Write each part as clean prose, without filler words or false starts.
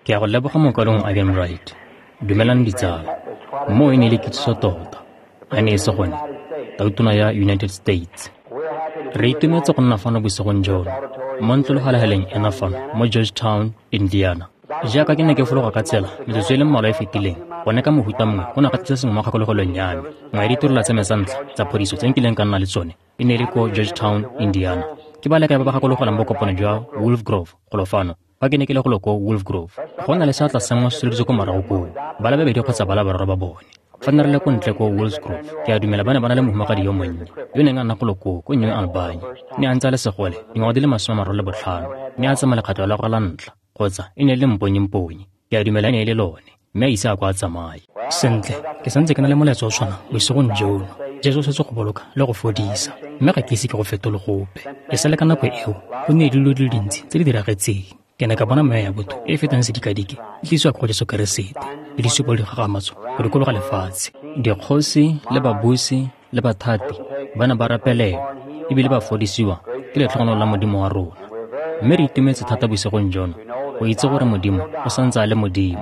Ke a go leboga mokwalong Arganbright. Dumelang ditsala. Moo e ne e le kitsiso tota. A ne e se gone, tautona ya United States. Re itumetse go nna fano bosigong jono, mo ntlologalegaleng ena fano mo Georgetown, Indiana. Jaaka ke ne ke fologa ka tsela metsotso e le mmalwa e fetileng, gone ka mohuta mongwe go ne ga tlisa sengwe mo kgakologelong ya me. Nngwe ya ditirelo tsa me tsa ntlha tsa phodiso tse nkileng ka nna le tsone e ne e le ko Georgetown, Indiana. Ke ba le kae ba ba gakologelang bokopano jwa Wolf Grove golo fano fa ke ne ke le golo ko Wolf Grove? Go na le seatla sengwe se tsholeditswe ko morago koo, ba le babedi kgotsa ba le bararo ba bone. Fa nne re le ko ntle ko Wolf Grove, ke a dumela ba ne ba na le mohumagadi yo monnye yo neng a nna golo koo ko New Albany. Ne a ntse a le segole dingwaga di le 35, ne a tsamaya lekgetlo la gagwe la ntlha, kgotsa e ne e le mponyimponyi, ke a dumela e ne e le lone, mme a ise a ko a tsamaye. Sentle, ke santse ke na le molaetsa o tshwanang bosigong jono. Jesu o setse go boloka le go fodisa, mme ga ke ise ke go fetole gope. E sale ka nako eo, go nnile dilo di le dintsi tse di diragetseng. Ke ne ka bona meya ya botho e e fetang sedikadike e tlisiwa ko go Jesu Keresete, le disupo le dikgakgamatso go dikologa lefatshe. Dikgosi le babusi le bathati ba ne ba rapelelwa ebile ba fodisiwa ke letlhogonolo la Modimo wa rona. Mme re itumetse thata bosigong jono go itse gore Modimo o santse a le Modimo,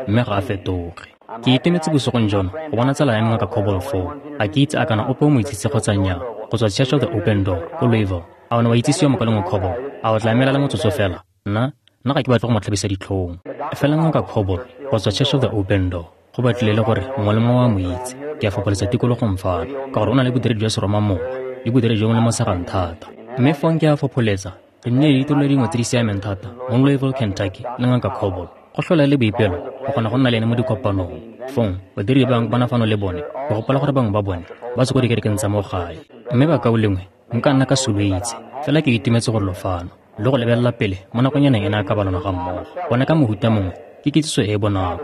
mme ga a fetoge. Ke itumetse bosigong jono go bona tsala ya me Ngaka Cobble foo. Ga ke itse a kana ope o mo itsitse kgotsa nnyaa, go tswa Church of the Open Door ko Louisville. A o ne wa itsisiwa mokalengwe Cobble? A o tla emela le motsotso fela? Nna, nna ga ke batle go mo tlhabisa ditlhong. Fela Ngaka Cobble go tswa Church of the Open Door, go batlile le gore mongwe le mongwe wa mo itse. Ke a fopholetsa tikologong fano, ka gore o na le bodiredi jwa seromamowa le bodiredi jo bo lemosegang thata. Mme fong ke a fopholetsa re nnile le ditirelo dingwe tse di siameng thata mo Louisville, Kentucky le Ngaka Cobble. Go tlhola le boipelo go kgona go nna le ene mo dikopanong. Fong badiri ba bangwe ba na fano le bone, ke gopola gore bangwe ba bone ba tswa ko dikerekeng tsa mo gae. Mme bakaulengwe, nka nna ka soloitse, fela ke itumetse gore lo fano le go lebelela pele mo nakonyaneng ena ka balona ga mmogo. Gone ka mohuta mongwe ke kitsiso e e bonako.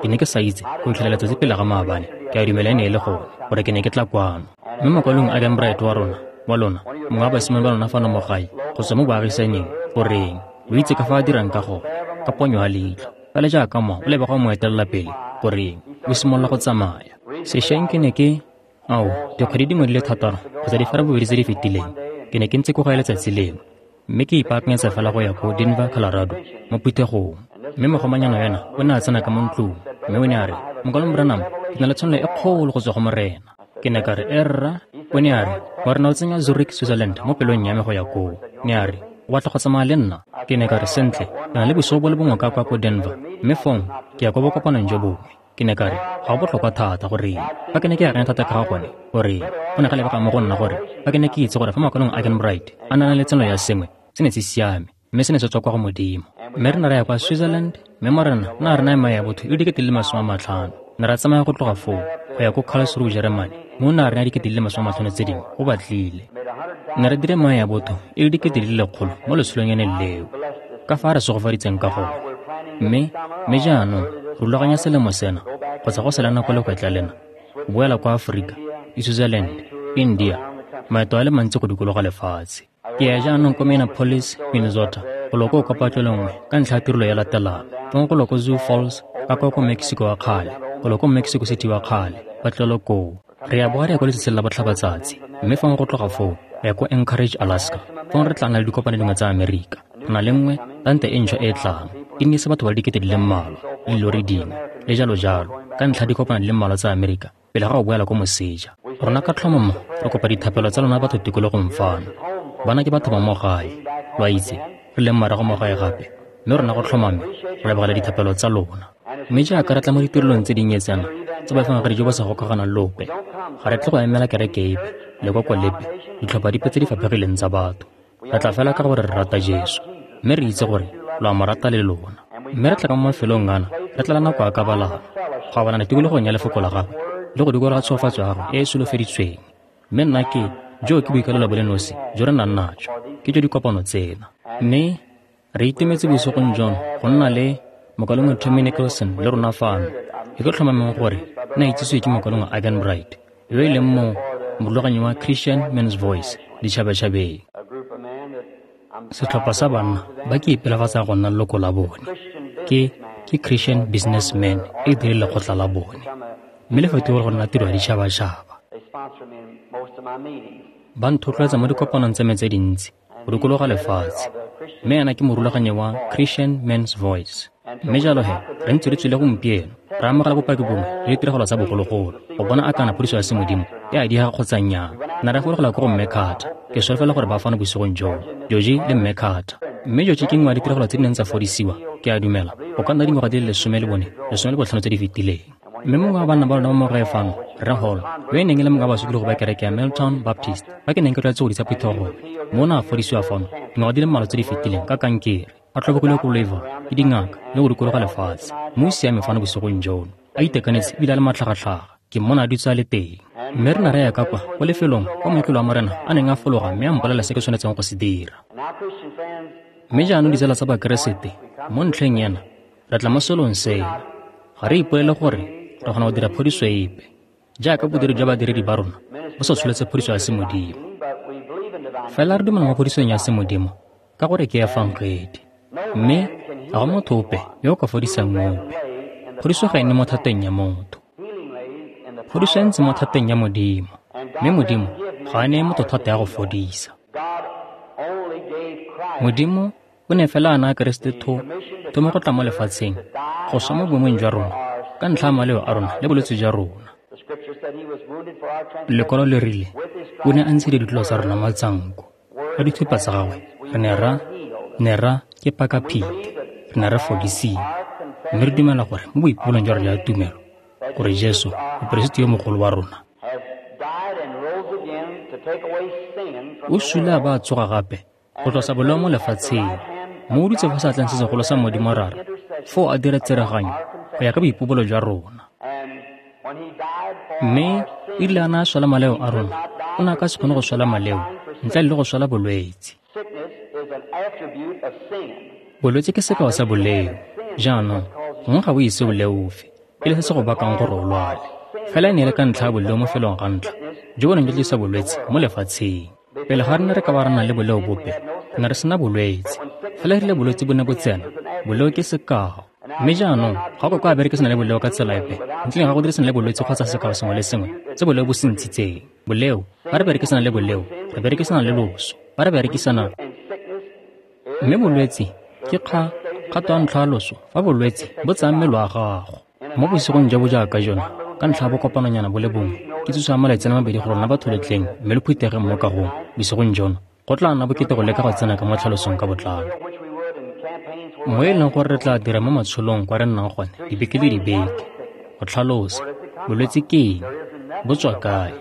Ke ne ke sa itse go fitlhela letsatsi pele ga maabane, ke a dumela e ne e le gone, gore ke ne ke tla kwano. Mme mokwalong Arganbright wa rona, wa lona, mongwe wa basimane ba lona fano mo gae, go tswa mo baagisaneng, goreng, o itse ka fa a dirang ka gone, ka ponyo ya leitlho. Fela jaaka mo o lebega o mo etelela pele, goreng, o simolola go tsamaya. Sešweng ke ne ke, ao, dikgwedi dingwe di le 6 kgotsa di 2 tse di fetileng, ke ne ke ntse ko gae letsatsi lengwe, mme ke ipaakanyetsa fela go ya ko Denver, Colorado, mo phuthegong. Mme mogomanyana yona o ne a tsena ka mo ntlong, mme o ne a re, Mokwalong Branham, ke na le tshwanelo e kgolo go tswa go Morena. Ke ne ka re, Erra. O ne a re, Morena o tsenya Zurich, Switzerland mo pelong ya me go ya koo. Ne a re, O batla go tsamaya le nna? Ke ne ka re, Sentle, ke na le bosigo bo le bongwe ka kwa ko Denver, mme fong ke ya kwa bokopanong jo bongwe. Ke ne ka re, Ga go botlhokwa thata, goreng, fa ke ne ke akanya thata ka ga gone, goreng, go ne ga lebega mo go nna gore fa ke ne ke itse gore fa makwalong a Arganbright a na le tseno ya sengwe, se ne se siame, mme se ne se tswa kwa go Modimo. Mme re ne ra ya kwa Switzerland, mme Morena o ne a re naya meya ya botho e le 50,000. Ne ra tsamaya go tloga foo go ya ko Karlsruhe, Germany, mme o ne a re naya 50,000 tse dingwe, go batlile. Ne re dire meya ya botho e le 100,000 mo letsholonyaneng leo, ka fa a re segofaditseng ka gone. Mme, mme jaanong re rulaganya selemo sena, kgotsa go sela nako legwetla lena, go boela kwa Aforika, le Switzerland, India, maeto a le mantsi go dikologa lefatshe. Ke ya jaanong ko Minneapolis, Minnesota, golo ko kopatlelo nngwe ka ntlha ya tirelo ya latelang. Fong golo ko Sioux Falls, ka kwa ko Mexico wa kgale, golo ko Mexico City wa kgale, patlelo koo. Re ya boa re ya ko letsatsing la botlhabatsatsi, mme fong go tloga foo re ya ko Anchorage, Alaska. Fong re tla nna le dikopano dingwe tsa Amerika. Re na le nngwe, tante e ntšhwa e e tlang, e nnise batho ba le 40,000, le dilori dingwe, le jalo jalo, ka ntlha ya dikopano di le mmalwa tsa Amerika pele ga go boela ko moseja. Rona ka tlhomamo re kopa dithapelo tsa lona batho tikologong fano. Bana ke batho ba mo gae, lo a itse, re leng morago mo gae gape, mme rona go tlhomame re lebogela dithapelo tsa lona. Mme jaaka re tla mo ditirelong tse dinnye tsena tsa baefangedi jo bo sa gokaganang le ope, ga re tle go emela kereke epe, lekoko lepe, ditlhopha dipe tse di faphegileng tsa batho. Re tla fela ka gore re rata Jesu, mme re itse gore lo a mo rata le lona. Mme re tla ka mo mafelong ana, re tlala nako ya kabalano, go abalana tikologong ya lefoko la gagwe le go dikologa tshegofatso ya gagwe e e solofeditsweng. Mme nna ke, joo ke boikalelo bo le nosi jo re nang najo, ke jo dikopano tsena. Mme re itumetse bosigong jono go nna le mokalengwe Tommy Nicholson le rona fano. E ke tlhomameng gore ne a itsisiwe ke mokalengwe Arganbright, yo e leng mo morulaganyi wa Christian Men's Voice ditšhabatšhabeng. Setlhopha sa banna ba ke ipelafatsa go nna leloko la bone ke ke Christian Businessmen e dire lekgotla la bone, mme le fetogile go nna tiro ya ditšhabatšhaba. Ba nthotloetsa mo dikopanong tsa me tse dintsi. go dikologa lefatshe. Mme ena ke morulaganyi wa Christian Men's Voice. Mme jalo he, re ntse re tswile gompieno, re amogela bopaki bongwe le ditiragalo tsa bogologolo, go bona a kana phodiso ya semodimo e a diega kgotsa nnyaa. Na re fologela ko go Mme Carter. Ke solofela gore ba fano bosigong joo, Georgie le Mme Carter. Mme Georgie ke nngwe ya ditiragalo tse di neng tsa fodisiwa, ke a dumela, go ka nna dingwaga di le 14, 15 tse di fetileng. Mme mongwe wa banna ba lona mo morae fano, Rre Hall, yo e neng e le mongwe wa basokologi ba kereke ya Milltown Baptist, ba ke neng ke tlwaetse go disa phuthego, mme o ne a fodisiwa fano dingwaga di le mmalwa tse di fetileng ka kankere, a tlhobogile ko Louisville ke dingaka le go dikologa lefatshe. Mme o siame fano bosigong jono, a itekanetse ebile a le matlhagatlhaga. Ke mmona a dutse a le teng. Mme re ne re ya ka kwa ko lefelong kwa motlolo wa Morena a neng a fologa mme a mpolelela se ke tshwanetseng go se dira. Mme jaanong ditsala tsa Bakeresete, mo ntlheng ena, re tla mo selong sena. Ga re ipolele gore re kgona go dira phodiso epe, jaaka bodiri jwa badiredi ba rona bo sa tsholetse phodiso ya semodimo. Fela re dumela mo phodisong ya semodimo ka gore ke efangedi. Mme ga go motho ope yo o ka fodisang ope. Phodiso ga e nne mo thateng ya motho. Phodiso e ntse mo thateng ya Modimo, mme Modimo ga a neye motho thata ya go fodisa. Modimo o ne fela a naya Keresete thomo go tla mo lefatsheng, go swa mo boemong jwa rona, ka ntlha ya maleo a rona le bolwetse jwa rona. Lekwalo le rile, o ne a ntshedile ditlolo tsa rona matsanko. Ka dithupa tsa gagwe, re ne ra ke pakaphete, re ne re fodisiwa. Mme re dumela gore mo boipolong jwa rona ya tumelo, gore Jesu, moperesiti yo mogolo wa rona, o sule a ba a tsoga gape go tlosa boleo mo lefatsheng, mme o dutse fa seatleng se segolo sa Modimo Rara, foo a dira tsereganyo go ya ka boipobolo jwa rona. Mme e rile a ne a swela maleo a rona, o ne a ka se kgone go swela maleo ntle le go swela bolwetse. Bolwetse ke sekao sa boleo. Jaanong, gongwe ga bo ise o leofe, e le se se go bakang gore o lwale. Fela e ne e le ka ntlha ya boleo mo felong ga ntlha, jo bo neng jwa tlisa bolwetse mo lefatsheng. Pele ga re ne re ka ba re na le boleo bope, re ne re sena bolwetse. Fela e rile bolwetse bo ne bo tsena, boleo ke sekao. Mme jaanong, ga o ka kwa berekisana le boleo ka tsela epe, ntle ga go dirisana le bolwetse kgotsa sekao sengwe le sengwe se boleo bo se ntshitseng. Boleo, fa re berekisana le boleo, re berekisana le loso. Fa re berekisana, mme bolwetse ke kgato ya ntlha ya loso fa bolwetse bo tsaya mmele wa gago. Mo bosigong jo bo jaaka jona, ka ntlha ya bokopanonyana bo le bongwe, ke tsoso ya malatsi a le mabedi go rona batho letleng mme le phuthegeng mo kagong bosigong jono, go tla nna bokete go leka go tsena ka mo tlhalosong ka botlalo. Mo e leng gore re tla dira mo matsholong kwa re nnang gone dibeke le dibeke, go tlhalosa bolwetse ke eng, bo tswa kae.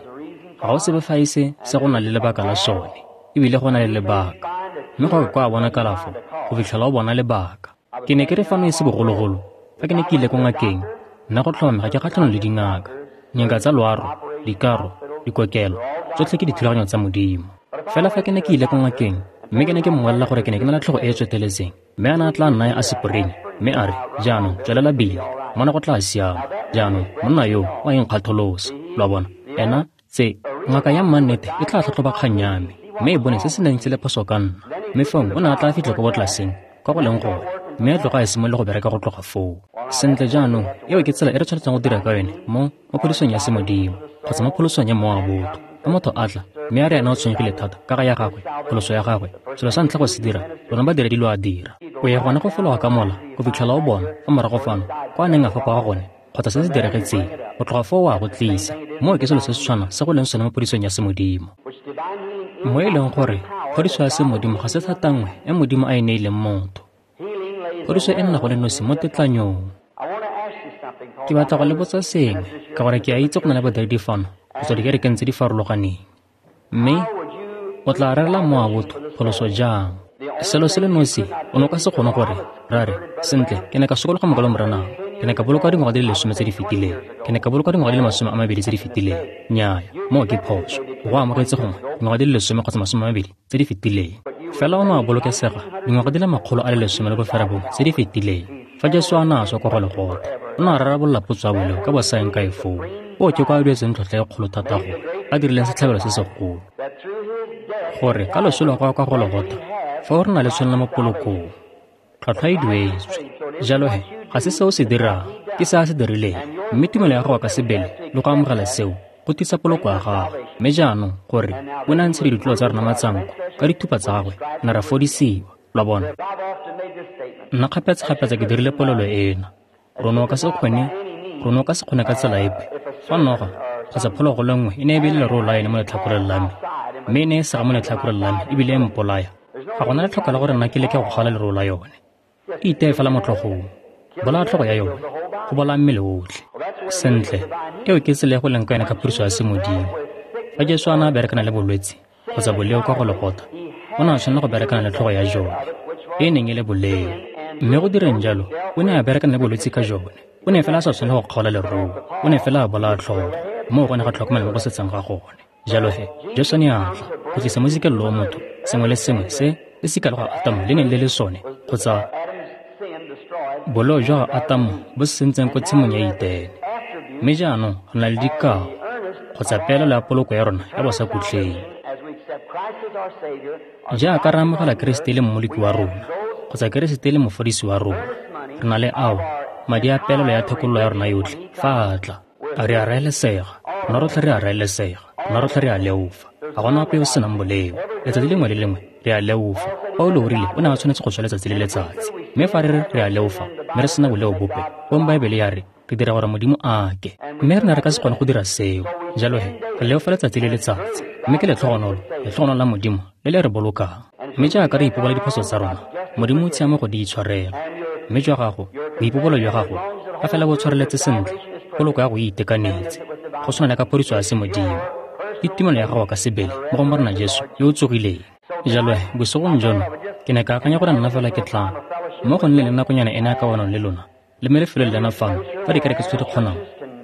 Ga go sebe fa e se se go na le lebaka la sone, ebile go na le lebaka. Mme go ka kwa bona kalafo go fitlhela o bona lebaka. Ke ne ke re fano e se bogologolo, fa ke ne ke ile ko ngakeng, nna go tlhomame ga ke kgatlhanong le dingaka. Dingaka tsa loaro, dikaro, dikokelo, tsotlhe ke dithulaganyo tsa Modimo. Fela fa ke ne ke ile ko ngakeng, mme ke ne ke mmolelela gore ke ne ke na le tlhogo e e tsweteletseng, mme a ne a tla nnaya asepirini, mme a re, jaanong tswelela bile, mona go tla siama. Jaanong monna yo o a inkgatholosa, lo a bona, ena tse ngaka ya mmannete e tla tlhatlhoba kgang ya me, mme e bone se se neng se le phoso ka nna. Mme fong o ne a tla fitlha ko botlaseng, kwa go leng gone, mme a tloga a simolola go bereka go tloga foo. Sentle jaanong, eo ke tsela e re tshwanetseng go dira ka yone mo phodisong ya semodimo, kgotsa mo pholosong ya mowa wa botho. Fa motho a tla, mme a re ena o tshwenyegile thata ka ga ya gagwe, pholoso ya gagwe, selo sa ntlha go se dira, lona badiredi lo a dira. O ya gone go fologa ka mola, go fitlhela o bona, fa morago fano, kwa a neng a fapoga gone, kgotsa se se diragetseng, go tloga foo o a go tlisa. Moo ke selo se se tshwanang se go leng sone mo phodisong ya semodimo. Mo e leng gore, phodiso ya semodimo ga se thata nngwe e Modimo a e neileng motho. Phodiso e nna go le nosi mo tetlanyong. Ke batla go le botsa sengwe, ka gore ke a itse go na le badiredi fano go tswa dikerekeng tse di farologaneng. Mme o tla rerela mowa botho pholoso jang? Selo se le nosi, o ne o ka se kgone gore, ra re, sentle, ke ne ka sokologa mokwalo Morenang. Ke ne ka bolokwa dingwaga di le 10 tse di fetileng. Ke ne ka bolokwa dingwaga di le 20 tse di fetileng. Nnyaya, moo ke phoso. Go amogetse gongwe dingwaga di le 10 kgotsa 20 tse di fetileng. Fela o ne wa bolokesega dingwaga di le 119 tse di fetileng. Fa Jesu a ne a swa kwa Golgotha, o ne a rarabolola potso ya boleo ka bosaeng kae foo. O ke kwa a duetseng tlhotlhwa e kgolo thata go a dirileng setlhabelo se segolo. Gore ka loso lwa gagwe kwa Golgotha, fa o re na le tshwanelo mo polokong, tlhwatlhwa e duetswe. Jalo he, ga se seo se dirang, ke se a se dirileng. Mme tumelo ya gago ka sebele le go amogela seo go tiisa poloko ya gago. Mme jaanong gore o ne a ntsha ditlolo tsa rona matsanko, Ka dithupa tsa gagwe ne ra fodisiwa. Lo a bona? Nna kgapetsa-kgapetsa ke dirile polelo ena. Rona o ka se kgone, rona o ka se kgone ka tsela epe. Fa noga kgotsa phologolo nngwe e ne e beile leroo la yone mo letlhakoreng la me, mme e ne e sega mo letlhakoreng la me ebile e mpolaya, ga gona letlhoko la gore nna ke leke go kgaola leroo la yone. E iteye fela mo tlhogong. Bolaya tlhogo ya yone, go bolaya mmele otlhe. Sentle, eo ke tsela e go leng ka yone ka phodiso ya semodimo. Fa Jesu a ne a berekana le bolwetse kgotsa boleo kwa Gologotha, o ne a tshwanela go berekana le tlhogo ya jone, e e neng e le boleo. Mme go direng jalo, o ne a berekana le bolwetse ka jone. O ne fela a sa tshwanela go kgaola leroo, o ne fela a bolaya tlhogo. Moo go ne ga tlhokomela mo go setseng ga gone. Jalo he, Jesu ne a tla go tlisa mo sikeng loo motho sengwe le sengwe se lesika la ga Atamo le neng le le sone, kgotsa boleo jwa ga Atamo bo se sentseng ko tshimong ya Etene. Mme jaanong re na le dikao kgotsa peelelo ya poloko ya rona ya bosakhutleng. Jaaka re amogela Keresete e le Mmoloki wa rona, kgotsa Keresete e le Mofodisi wa rona, re na le ao, madi a peelelo ya thekololo ya rona yotlhe, fa a tla. Re a raelesega, rona rotlhe re a raelesega, rona rotlhe re a leofa. Ga gona ope yo o senang boleo. Letsatsi lengwe le lengwe re a leofa. Paulo o rile o ne a tshwanetse go swa letsatsi le letsatsi. Mme fa re re re a leofa, mme re sena boleo bope, fong Baebele ya re re dira gore Modimo a ake. Mme re ne re ka se kgone go dira seo. Jalo he, re leofa letsatsi le letsatsi. Mme ke letlhogonolo, letlhogonolo la Modimo le le re bolokang. Mme jaaka re ipobola diphoso tsa rona, Modimo o tshiamo go di itshwarela. Mme jwa gago, boipobolo jwa gago, fa fela bo tshwareletse sentle, poloko ya go e itekanetse, go tshwana le ka phodiso ya semodimo. Ke tumelo ya gago ka sebele mo go Morena Jesu yo o tsogileng. Jalo he, bosigong jono, ke ne ka akanya gore nna fela ke tla mo go nne le nakonyana ena ya kawanong le lona, le mo lefelong lena fano, fa dikereke tse di kgonang,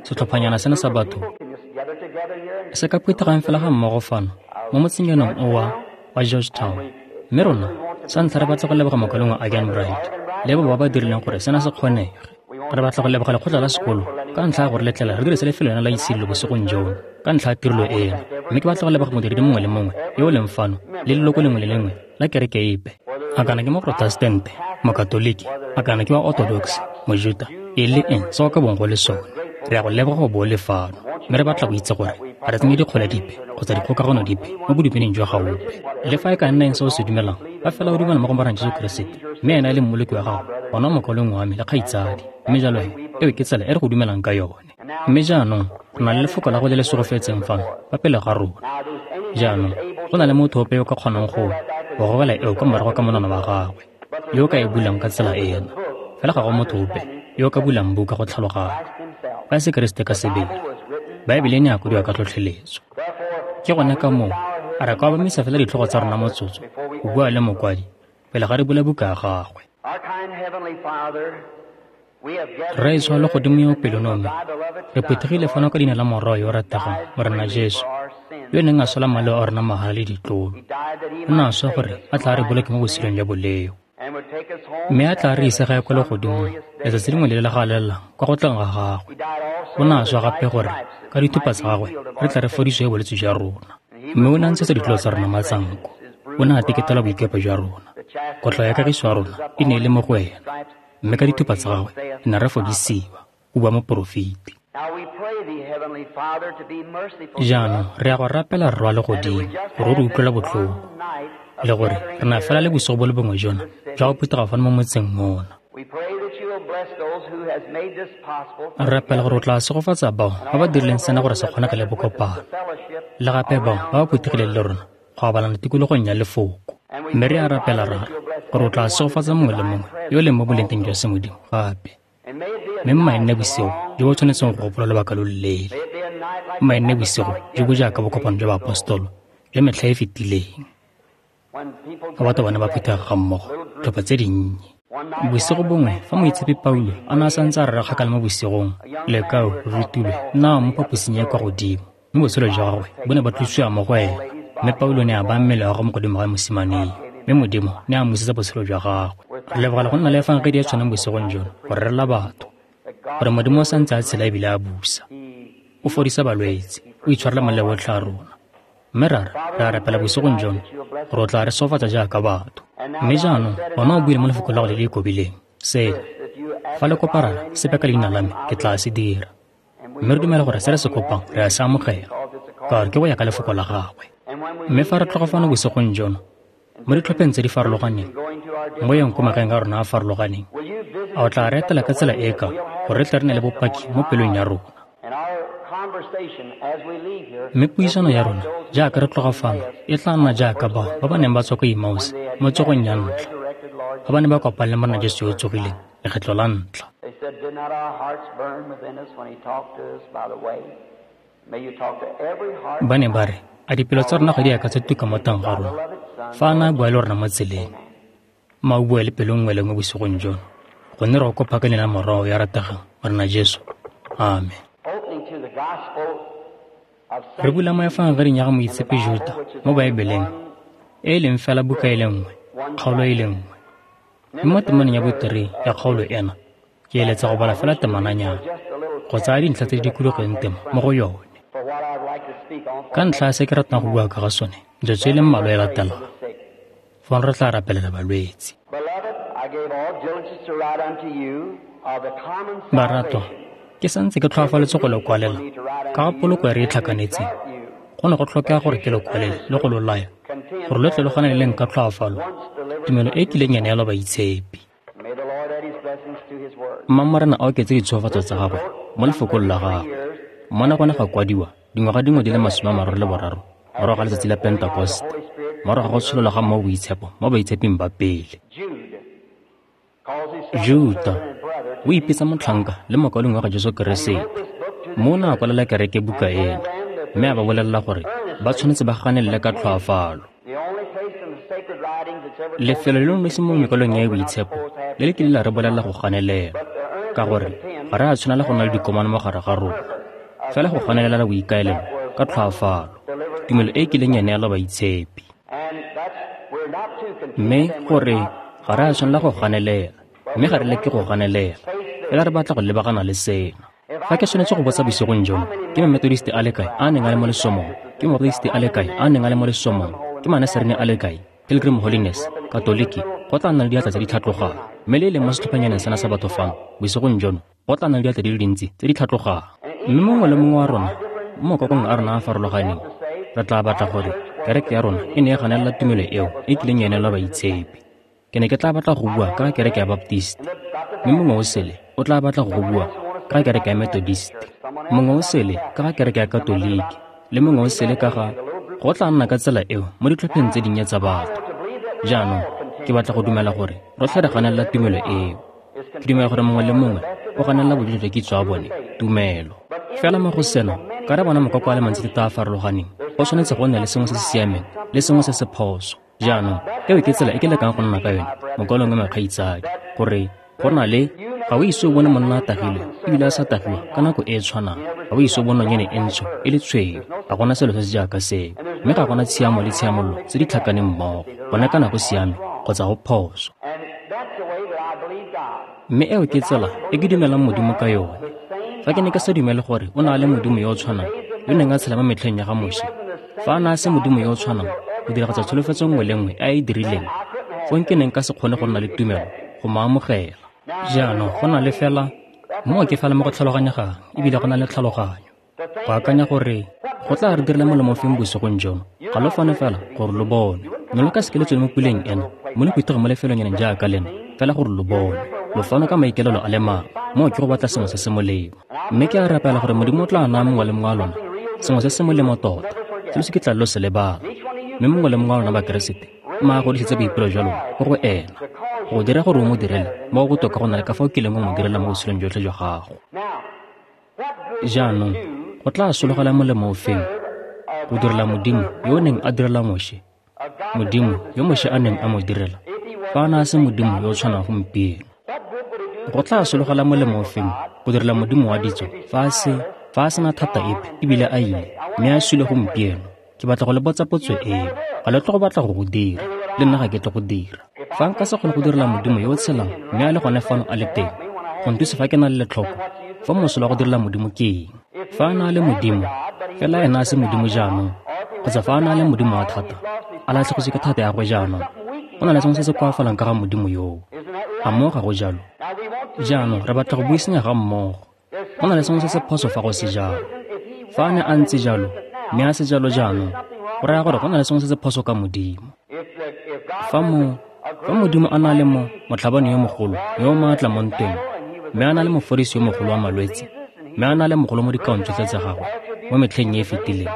setlhophanyana sena sa batho se ka phuthegang fela ga mmogo fano mo motsenyaneng o wa Georgetown. Mme rona sa ntlha re batla go leboga mokalengwe Agan Bright le bo ba ba dirileng gore sena se kgonege. Re batla go leboga lekgotla la sekolo ka ntlha ya gore letlela re dirise lefelo lena la itshidilo bosigong jono ka ntlha ya tirelo ena. Mme ke batla go leboga modiredi mongwe le mongwe yo o leng fano le leloko lengwe le lengwe la kereke epe. A kana ke Moprotestante, Mokatoliki, a kana ke wa Orthodox, Mojuta, e le eng se o ka bong go le sone. Re ya go leboga go bo o le fano, mme re batla go itse gore ga re tsenye dikgole dipe kgotsa dikgokagano dipe mo bodumeding jwa gaope. Le fa e ka nna eng se o se dumelang, fa fela o dumela mo go Morena Jesu Keresete, mme ena e le Mmoloki wa gago, gona o mokaulengwe wa me le kgaitsadi. Mme jalo he, eo ke tsela e re go dumelang ka yone. Mme jaanong re na le lefoko la go le le segofetseng fano fa pele ga rona. Jaanong go na le motho ope yo o ka kgonang go gobela eo kwa morago ka monwana wa gagwe, yo o ka e bulang ka tsela ena. Fela ga go motho ope yo o ka bulang buka go tlhaloganya, fa e se Keresete ka sebele. Baebele e ne ya kwadiwa ka tlhotlheletso. Ke gone ka moo a re ka obamisa fela ditlhogo tsa rona motsotso go bua le mokwadi pele ga re bula buka ya gagwe. Rraetsho wa legodimo yo o pelonomi, re phuthegile fano ka leina la Morwa yo o rategang, Morena Jesu, yo neng a swela maleo a rona mahala le ditlolo. O ne a swa gore a tla re boloke mo botshelong jwa boleo, mme a tla re ise gae kwa legodimong letsatsi lengwe le le galelang kwa go tlang ga gagwe. O ne a swa gape gore ka dithupa tsa gagwe re tla re fodisiwe bolwetse jwa rona. Mme o ne a ntshetsa ditlolo tsa rona matsanko, o ne a teketela boikepo jwa rona. Kotlo ya kagiso ya rona e ne e le mo go ena, mme ka dithupa tsa gagwe re ne re fodisiwa, o bua moporofeti. Jaanong re ya go rapela Rre wa Legodimo gore o re utlwele botlhoko, le gore re na fela le bosigo bo le bongwe jona jwa go phuthega fano mo motseng mona. Re rapela gore o tla segofatsa bao ba ba dirileng sena gore se kgonege le bokopano, le gape bao ba ba phuthegileng le rona go abalana tikologong ya lefoko. Mme re a rapela Rara gore o tla segofatsa mongwe le mongwe yo o leng mo bolengteng jwa semodimo gape. Mme mma e nne bosigo jo bo tshwanetseng go gopola lobaka lo loleele. Mma e nne bosigo jo bo jaaka bokopano jwa baapostolo jwa metlha e fetileng, fa batho ba ne ba phuthega ga mmogo tlhopha tse dinnye. Bosigo bongwe fa moitshepi Paulo a ne a santse a rera kgakala mo bosigong, lekau le rutilwe nna mo phaposing e kwa godimo, mme botshelo jwa gagwe bo ne ba tlosiwa mo go ena. Mme Paulo ne a baya mmele wa gagwe mo godimo ga mosimane, mme Modimo ne a mmusetsa botshelo jwa gagwe. Re lebogela go nna le efangedi e tshwanang bosigong jono go rerela batho gore Modimo o santse a tshela ebile a busa. O fodisa balwetse, o itshwarela maleo otlhe a rona. Mme Rara, re a rapela bosigong jono gore o tla re sofatsa jaaka batho. Mme jaanong ona o buile mo lefokong la go le le ikobileng sena, fa le kopa Rara sepe ka leina la me, ke tla se dira. Mme re dumela gore se re se kopang re a se amogela, ka gore ke go ya ka lefoko la gagwe. Mme fa re tloga fano bosigong jono, mo ditlhopheng tse di farologaneng, mo yeng ko magaeng a rona a farologaneng, a o tla re etela ka tsela e ka gore re tle re nne le bopaki mo pelong ya rona. Mme puisano ya rona jaaka re tloga fano e tla nna jaaka bao ba ba neng ba tswa ko Emmaus mo tsogong ya ntlha, ba ba neng ba kopane le Morena Jesu yo o tsogileng lekgetlo la ntlha. Ba ne ba re, a dipelo tsa rona ga di a ka tsa tuka mo teng ga rona fa a ne a bua le rona mo tseleng? Mma o bue le pelo nngwe le nngwe bosigong jono, gonne re go kopa ka leina la Morwao ya rategang, Morena Jesu. Amen. Re bula mo Efangeling ya ga Moitshepi Juta mo Baebeleng, e e leng fela buka e le nngwe, kgaolo e le nngwe. Mme mo temaneng ya boterei ya kgaolo ena, ke eletsa go bala fela temananyana, go tsaya dintlha tse di dikologileng temo mo go yone. Ka ntlha ya se ke ratang go bua ka ga sone, metsotso e le mmalwa e latelang, fong re tla rapelela balwetse. Baratwa, ke santse ke tlhoafaletse go le kwalela ka ga poloko e re e tlhakanetseng. Go ne go tlhokega gore ke le kwalele le go lo laya gore lo tle lo ganeleleng ka tlhoafalo tumelo e e kileng ya neelwa baitshepi. Mma Morena a oketse ditshegofatso tsa gagwe mo lefokong la gagwe. Mona go ne ga kwadiwa dingwaga dingwe di le 33 morago ga letsatsi la Pentekoste, morago ga go tshololwa ga Mowa o Boitshepo mo baitsheping ba pele. Juta o ipitsa motlhanka le mokaulengwe wa ga Jesu Keresete. Mme o ne a kwalela kereke buka ena, mme a ba bolelela gore ba tshwanetse ba ganelele ka tlhoafalo. Lefelo le longwe mo mekwalong ya e boitshepo le le kile la re bolelela go ganelela, ka gore ga re a tshwanela go nna le dikomano mo gare ga rona, fela go ganelela boikaelelo ka tlhoafalo, tumelo e e kileng ya neelwa baitshepi. Mme gore ga re a tshwanela go ganelela, mme ga re leke go ganelela, fela re batla go lebagana le sena. Fa ke tshwanetse go botsa bosigong jono, ke Mamethodiste a le kae a neng a le mo lesomong? Ke Mabaptiste a le kae a neng a le mo lesomong? Ke Manaserene a le kae? Pilgrim Holiness, Katoliki, go tla nna le diatla tse di tlhatlogang. Mme le e leng mo setlhophanyaneng sena sa batho fano, bosigong jono, go tla nna le diatla di le dintsi tse di tlhatlogang. Mme mongwe le mongwe wa rona, mo makokong a rona a a farologaneng, re tla batla gore kereke ya rona e ne e ganelela tumelo eo e kileng ya neelwa baitshepi. Ke ne ke tla batla go bua ka kereke ya Baptist, mme mongwe o sele o tla batla go bua ka kereke ya Methodist, mongwe o sele ka ga kereke ya Katoliki, le mongwe o sele ka ga go tla nna ka tsela eo mo ditlhopheng tse dinnye tsa batho. Jaanong ke batla go dumela gore rotlhe re ganelela tumelo eo. Ke dumela gore mongwe le mongwe o ganelela bojotlhe jwa kitso ya bone tumelo. Fela mo go sena, ka re bona makoko a le mantsi thata a a farologaneng, go tshwanetse go nne le sengwe se se siameng le sengwe se se phoso. Jaanong, eo ke tsela e ke lekang go nna ka yone, mokwalong wa makgaitsadi, gore go na le ga o ise o bone monna a tagilwe ebile a sa tagiwa ka nako e e tshwanang. Ga o ise o bone nonyane e ntsho e le tshweu. Ga gona selo se se jaaka seo. Mme ga gona tshiamo le tshiamololo tse di tlhakaneng mmogo. Gone kana go siame kgotsa go phoso. Mme eo ke tsela e ke dumelang Modimo ka yone. Fa ke ne ke sa dumele gore o ne a le Modimo yo o tshwanang yo neng a tshela mo metlheng ya ga Moshe, fa a ne a se Modimo yo o tshwanang go diragatsa tsholofetso nngwe le nngwe e a e dirileng, fong ke neng ka se kgone go nna le tumelo go mo amogela. Jaanong go na le fela moo ke fela mo go tlhaloganyegang ebile go na le tlhaloganyo go akanya gore go tla re direla molemo feng bosigong jono. Ga lo fano fela gore lo bone. Ne lo ka seke le tswele mo puleng ena mo le phuthego mo lefelonyaneng jaaka lena fela gore lo bone. Lo fano ka maikelelo a le mangwe, moo ke go batla sengwe se se molemo. Mme ke a rapela gore Modimo o tla naya mongwe le mongwe wa lona sengwe se se molemo tota, se lo se ke tla lo se lebala. Mme mongwe le mongwe wa lona Bakeresete mma a godisetse boipelo jwa lona go go ena, go dira gore o mo direle mo go botoka go na le ka fa o kileng wa mo direla mo botshelong jotlhe jwa gago. Jaanong go tla sologela molemo o feng go direla Modimo yo o neng a direla Moshe, Modimo yo Moshe a neng a mo direla, fa a ne a se Modimo yo o tshwanang gompieno? Go tla sologela molemo o feng go direla Modimo wa ditso fa a sena thata epe ebile a ile mme a sule gompieno? Ke batla go le botsa potso eo. Ga le tle go batla go go dira, le nna ga ke tle go dira. Fa nka se kgone go direla Modimo yo o tshelang mme a le gone fano a le teng, go ntuse fa ke na le letlhoko, fa mosola wa go direla Modimo ke eng? Fa a na le Modimo, fela ena a se Modimo jaanong, kgotsa fa a na le Modimo wa thata, a latlhegetswe ke thata ya gagwe jaanong, go na le sengwe se se koafalang ka ga Modimo yoo. A moo ga go jalo? Jaanong re batla go buisanya ga mmogo. Go na le sengwe se se phoso fa go se jalo. Fa a ne a ntse jalo, mme a se jalo jaanong, go raya gore go na le sengwe se se phoso ka Modimo. Fa Modimo a na le motlhabani yo mogolo yo o maatla mo ntweng, mme a na le mofodisi yo mogolo wa malwetse, mme a na le mogolo mo dikaong tsotlhe tsa gagwe mo metlheng e e fetileng,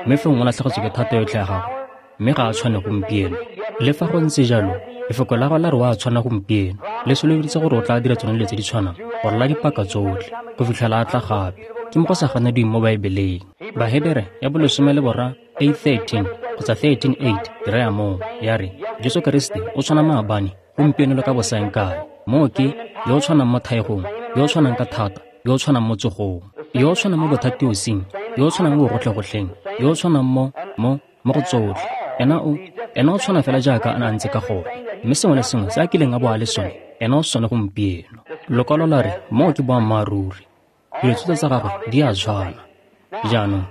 mme fong o latlhegetswe ke thata yotlhe ya gagwe, mme ga a tshwane gompieno. Le fa go ntse jalo, lefoko la gagwe la re o a tshwana gompieno, le solofeditse gore o tla dira tsone dilo tse di tshwanang go ralala dipaka tsotlhe go fitlhela a tla gape. Ke mo go sa ganediweng mo Baebeleng. Bahebere ya bo 13 8:13 kgotsa 13:8 di raya moo, ya re Jesu Keresete o tshwana maabane, gompieno le ka bosaengkae. Moo ke yo o tshwanang mo thaegong, yo o tshwanang ka thata, yo o tshwanang mo tsogong, yo o tshwanang mo bothatiosing, yo o tshwanang mo bogotlhegotlheng, yo o tshwanang mo go tsotlhe. Ena o tshwana fela jaaka a ne a ntse ka gone, mme sengwe le sengwe se a kileng a bo a le sone, ena o sone gompieno. Lokwalo la re moo ke boammaaruri. Dilo tsotlhe tsa gagwe di a tshwana. Jaanong,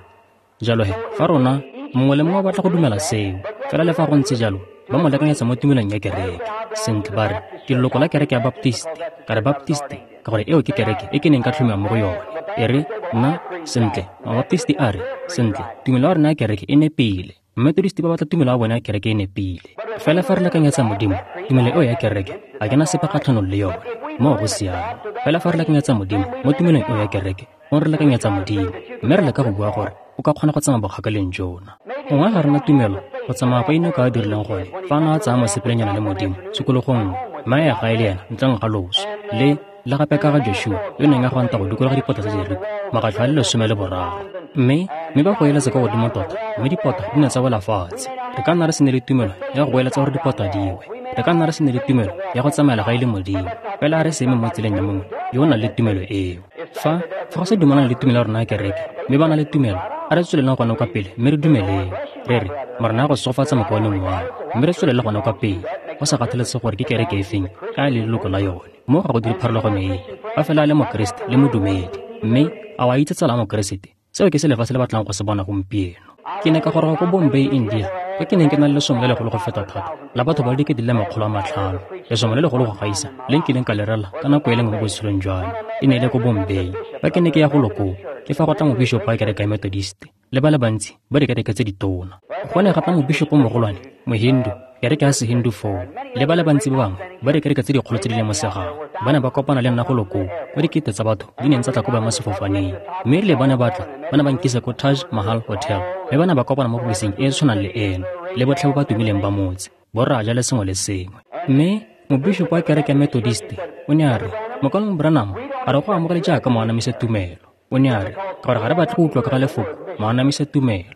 jalo he, fa rona mongwe le mongwe o batla go dumela seo, fela le fa go ntse jalo, ba mo lekanyetsa mo tumelong ya kereke. Sentle, ba re ke leloko la kereke ya Baptiste. Ka re Baptiste ka gore eo ke kereke e ke neng ka tlhomiwa mo go yone. E re nna, sentle, Mabaptiste a re, sentle, tumelo ya rona ya kereke e nepile. Methodist ba batla tumelo ya bone ya kereke e nepile. Fela fa re lekanyetsa Modimo, tumelo eo ya kereke ga ke na sepe kgatlhanong le yone. Moo go siame. Fela fa re lekanyetsa Modimo mo tumelong eo ya kereke, gongwe re lekanyetsa Modimo, mme re leka go bua gore o ka kgona go tsamaya bokgakaleng jona. Gongwe ga rena tumelo go tsamaya kwa Enoka a dirileng gone fa a ne a tsaya mosepelenyana le Modimo tshokologong nngwe, mme a ya gae le ena ntleng ga loso. Le gape ka ga Joshua yo neng a gwanta go dikologa dipota tsa Jeriko makgatlho a le 13. Mme ba goeletsa kwa godimo tota, mme dipota di ne tsa wela fatshe. Re ka nna re se ne le tumelo ya go goeletsa gore dipota di we. Re ka nna re se ne le tumelo ya go tsamaela gae le Modimo, fela a re se eme mo tseleng ya mongwe yo o nang le tumelo eo. Fa go sa dumalana le tumelo ya rona ya kereke, mme ba na le tumelo, a re tsweleleng gone kwa pele mme re dumeleng. Re re, Morena a go segofatsa mokaulengwe wa me, mme re tswelele gone kwa pele, go sa kgathalesege gore ke kereke e feng a e le leloko la yone. Mo ga go dire pharologano epe, fa fela a le Mokeresete le modumedi. Mme a wa itse tsala ya Mokeresete, seo ke se lefatshe le batlang go se bona gompieno. Ke ne ka goroga ko Bombay, India, kwa ke neng ke na le lesomo le legolo go feta thata la batho ba le 500,000, lesomo le legolo go gaisa le nkileng ka le rela ka nako e le nngwe mo botshelong jwa me. E ne e le ko Bombay. Fa ke ne ke ya golo koo, ke fa go tla mobishopo wa kereke ya Methodist le ba le bantsi ba dikereke tse ditona. Go ne ga tla mobishopo mogolwane, Mohindu, kereke ya Sehindu foo, le ba le bantsi ba bangwe ba dikereke tse dikgolo tse di lemosegang. Ba ne ba kopana le nna golo koo, kwa dikete tsa batho di neng tsa tla ko boemasefofaneng. Mme erile ba ne ba tla, ba ne ba nkisa ko Taj Mahal Hotel, mme ba ne ba kopana mo bobosing e e tshwanang le eno, le botlhe ba ba tumileng ba motse, borraja le sengwe le sengwe. Mme mobishopo wa kereke ya Methodist o ne a re, Mokaulengwe Branham, a re go amogele jaaka moanamisa tumelo. O ne a re, ka gore ga re batle go utlwa ka ga lefoko moanamisa tumelo.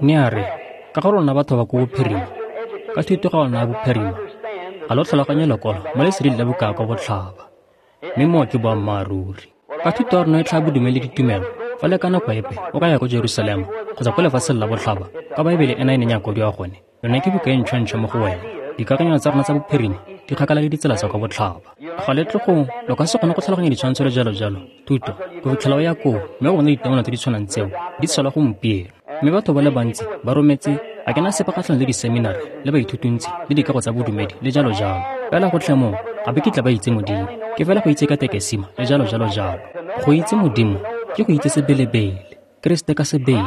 Ne a re, ka gore lona batho ba ko bophirima, ka thuto ga lona ya bophirima, ga lo tlhaloganye lekwalo mo leseding la buka kwa botlhaba. Mme moo ke boammaaruri. Ka thuto ya rona e tlhaa bodumedi le ditumelo, fa le ka nako epe o ka ya ko Jerusalema kgotsa ko lefatsheng la botlhaba, ka Baebele ena e neng ya kwadiwa gone, yone ke buka e ntšhwa-ntšhwa mo go wena. Dikakanyo tsa rona tsa bophirima di kgakala le ditsela tsa kwa botlhaba. Ga le tle lo ka se kgone go tlhaloganya ditshwantsho le jalo-jalo, thuto, go fitlhela o ya koo, mme go bona ditemana tse di tshwanang tseo di tshelwa gompieno. Mme batho ba le bantsi ba rometse a ke na sepe kgatlhanong le diseminari le baithutuntsi le dikago tsa bodumedi le jalo-jalo. Fela gotlhe moo ga ba kitla ba itse Modimo. Ke fela go itse ka tekesima le jalo-jalo-jalo. Go itse Modimo ke go itse sebelebele, Keresete ka sebele,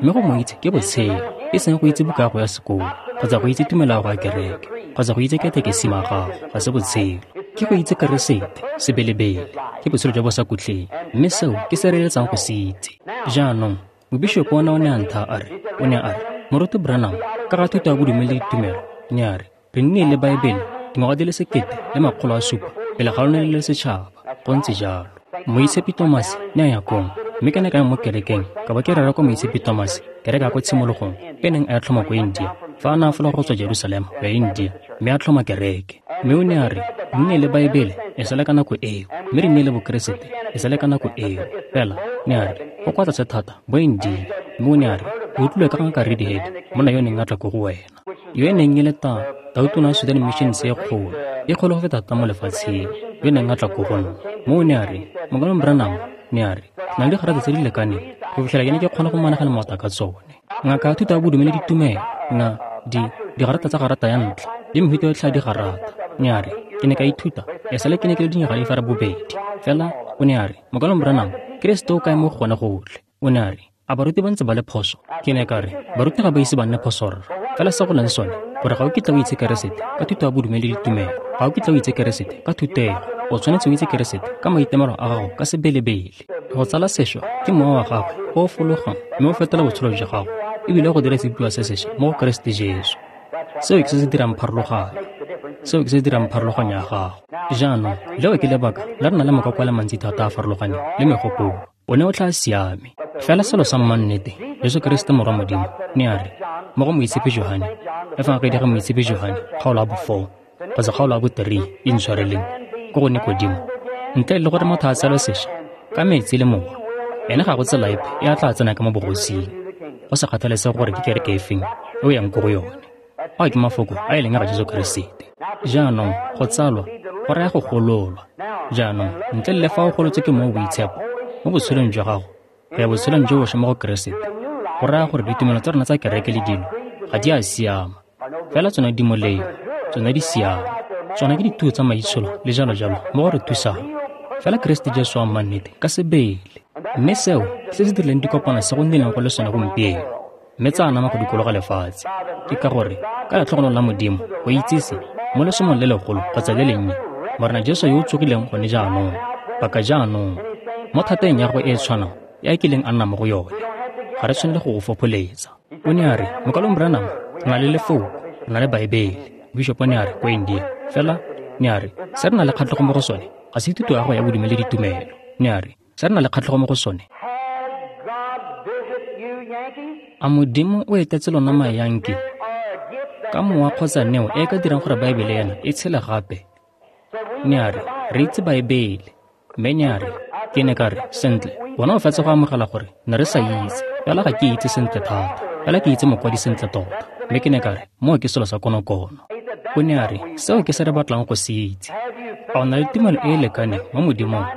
mme go mo itse ke botshelo, e seng go itse buka ya go ya sekolo, kgotsa go itse tumelo ya go ya kereke, kgotsa go itse katekesima ya gago, ga se botshelo. Ke go itse Keresete sebelebele, ke botshelo jwa bosakhutleng, mme seo ke se re eletsang go se itse. Jaanong, mobishopo ona o ne a ntha a re, o ne a re, Moruti Branham, ka ga thuto ya bodumedi le ditumelo, ne a re, re nnile le Baebele dingwaga di le 1700 pele ga lone le le setšhaba. Go ntse jalo. Moitshepi Thomas ne a ya kong, mme ke ne ka ya mo kerekeng ka ba ke rera kwa Moitshepi Thomas, kereke ya ko tshimologong e neng a tlhoma ko India, fa a ne a fologa go tswa Jerusalema go ya India, mme a tlhoma kereke. Mme o ne a re, re nnile le Baebele e sale ka nako eo, mme re nnile le Bokeresete e sale ka nako eo. Fela ne a re, go kwa tlase thata bo India. Mme o ne a re, o utlwile ka ngaka Reedhead, monna yo neng a tla ko go wena, yo e neng e le tautona ya Sudan Missions e kgolo, e kgolo go feta thata mo lefatsheng, yo neng a tla ko go nna. Mme o ne a re, Mokaulengwe Branham, ne a re, ke na le digarata tse di lekaneng go fitlhela ke ne ke kgona go managana maota ka tsone. Ngaka ya thuto ya bodumedi le ditumelo, digarata tsa garata ya ntlha le mehuta yotlhe ya digarata. Ne a re, ke ne ka ithuta e sale ke ne ke le dinyaga di 8. Fela o ne a re, Mokaulengwe Branham, Keresete o kae mo go gone gotlhe? O ne a re, a baruti ba ntse ba le phoso? Ke ne ka re, baruti ga ba ise ba nne phoso rra. Fela se go leng sone gore ga o kitla o itse Keresete ka thuto ya bodumedi le ditumelo, ga o kitla o itse Keresete ka thutego, o tshwanetse o itse Keresete ka maitemelo a gago ka sebelebele. Go tsala sešwa ke mowa wa gagwe o o fologang mme o fetola botshelo jwa gago ebile go dira sebopiwa se sešwa mo go Keresete Jesu. Seo ke se se dirang pharologanyo. Seo ke se se dirang pharologanyo ya gago. Jaanong, leo ke lebaka la re na le makoko a le mantsi thata a a farologaneng le megopolo. O ne o tla siame. Fela selo sa mmannete, Jesu Keresete Morwa Modimo, ne a re, mo go Moitshepi Johane, Efangedi ga Moitshepi Johane, kgaolo ya bo 4, kgotsa kgaolo ya bo 3, intshwareleng, ko go Nikodimo, ntle le gore motho a tsalwe sešwa ka metsi le mowa, ene ga go tsela epe e a tla tsena ka mo bogosing, go sa kgathalesege gore ke kereke efeng e o yang ko go yone. Ao ke mafoko a e leng a ga Jesu Keresete. Jaanong, go tsalwa go raya go gololwa. Jaanong, ntle le fa o golotswe ke Mowa o Boitshepo mo botshelong jwa gago go ya botshelong jo bošwa mo go Keresete, go raya gore ditumelo tsa rona tsa kereke le dilo ga di a siama. Fela tsone di molemo, tsone di siame, tsone ke dithuo tsa maitsholo le jalo jalo mo go re thusang. Fela Keresete Jesu wa mmannete ka sebele. Mme seo ke se se dirileng dikopano se go nnileng go le sone gompieno, mme tsa anama go dikologa lefatshe. Ke ka gore ka letlhogonolo la Modimo go itsise mo lesomong le legolo kgotsa le lennye Morena Jesu yo o tsogileng gone jaanong, paka jaanong, mo thateng ya gagwe e e tshwanang e a kileng a nna mo go yone. Ga re tshwanele go go fopholetsa. O ne a re, Mokalong Branham, re na le lefoko, re na le Baebele. Bishop o ne a re, ko India. Fela, ne a re, se re na le kgatlhego mo go sone, ga se thuto ya gago ya bodumedi le ditumelo. Ne a re, se re na le kgatlhego mo go sone. A Modimo o etetse lona Mayanki ka mowa kgotsa neo e e ka dirang gore Baebele ena e tshele gape? Ne a re, re itse Baebele. Mme ne a re, ke ne ka re, sentle, bona o fetsa go amogela gore ne re sa itse, fela ga ke itse sentle thata, fela ke itse mokwadi sentle tota. Mme ke ne ka re, moo ke selo sa konokono. O ne a re, seo ke se re batlang go se itse. A o na le tumelo e e lekaneng mo Modimong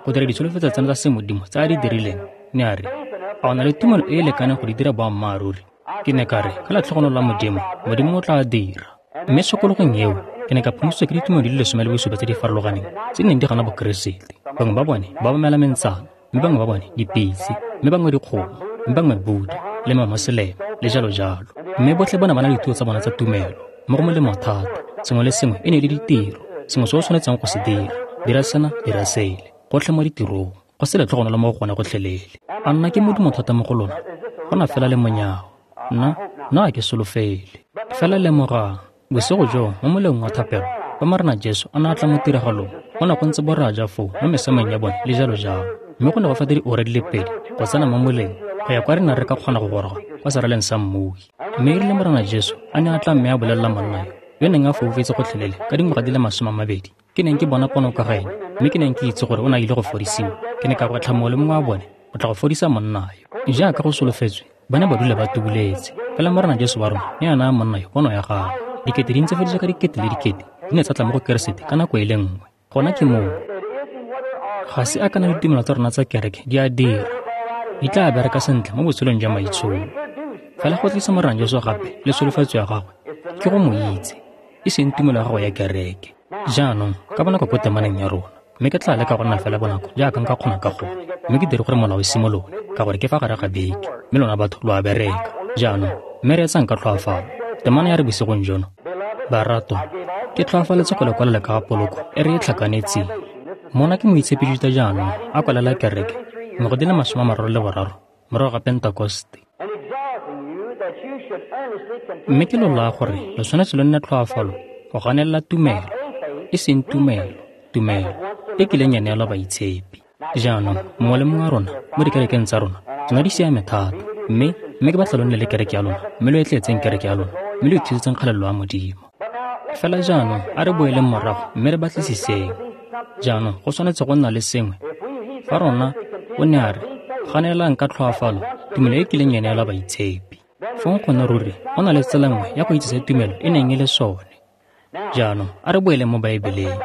go dira ditsholofetso tsena tsa semodimo tse a di dirileng? Ne a re, a o na le tumelo e e lekaneng go di dira boammaaruri? Ke ne ka re, ka letlhogonolo la Modimo, Modimo o tla dira. Mme tshokologong eo, ke ne ka phomositswe ke ditumelo di le 17 tse di farologaneng tse di neng di gana Bokeresete. Bangwe ba bone ba obamela mentsana, mme bangwe ba bone dipitse, mme bangwe dikgomo, mme bangwe Buddha le Mamoseleme le jalo jalo. Mme botlhe ba ne ba na le dithuto tsa bona tsa tumelo, mo go molemo thata. Sengwe le sengwe e ne e le ditiro, sengwe se o tshwanetseng go se dira, dira sena, dira sele, gotlhe mo ditirong, go se letlhogonolo mo go gone gotlhelele. A nna ke modumo thata mo go lona, go na fela le monyao. Nna, nna ga ke solofele. Fela lemogang, bosigo joo mo moleng wa thapelo, fa Morena Jesu a ne a tla mo tiragalong, go ne go ntse boraja foo mo mesameng ya bone le jalo jalo. Mme go ne go feta diura di le 2 go tsena mo moleng go ya kwa re neng re ka kgona go goroga kwa seraleng sa mmui. Mme erile Morena Jesu a ne a tla mme a bolelela monna yo, yo neng a foufetse gotlhelele ka dingwaga di le 20, ke neng ke bona pono ka ga ene, mme ke neng ke itse gore o ne a ile go fodisiwa. Ke ne ka gwetlha mongwe le mongwe wa bone go tla go fodisa monna yo. Jaaka go solofetswe, ba ne ba dula ba tubuletse. Fela Morena Jesu wa rona ne a naya monna yo pono ya gagwe. Dikete di ntse fediswa ka dikete le dikete di ne tsa tla mo go Keresete ka nako e le nngwe. Gona ke moo. Ga se a kana ditumelo tsa rona tsa kereke di a dira. Di tla bereka sentle mo botshelong jwa maitsholo. Fela go tlisa Morena Jesu gape le tsholofetso ya gagwe ke go mo itse, e seng tumelo ya gago ya kereke. Jaanong, ka bonako ko temaneng ya rona, mme ke tla leka go nna fela bonako jaaka nka kgona ka gone, mme ke dire gore molao o simolole, ka gore ke fa gare ga beke, mme lona batho lo a bereka. Jaanong, mme reetsang ka tlhoafalo. Temana ya re bosigong jono, baratwa, ke tlhoafaletse go le kwalela ka ga poloko e re e tlhakanetseng. Mona ke Moitshepi Juta jaanong a kwalela kereke dingwaga di le 33 morago ga Pentekoste. Mme ke lo laya gore lo tshwanetse lo nne tlhoafalo go ganelela tumelo, e seng tumelo, tumelo e kileng ya neelwa baitshepi. Jaanong, mongwe le mongwe wa rona mo dikerekeng tsa rona, tsona di siame thata, mme ke batla lo nne le kereke ya lona, mme lo etletseng kereke ya lona, mme lo ithusetseng kgalelo ya Modimo. Fela jaanong, a re boeleng morago mme re batlisiseng. Jaanong, go tshwanetse go nna le sengwe. Fa rona, o ne a re, ganelang ka tlhoafalo tumelo e kileng ya neelwa baitshepi. Fong gone ruri go na le tsela nngwe ya go itse se tumelo e neng e le sone. Jaanong, a re boeleng mo Baebeleng.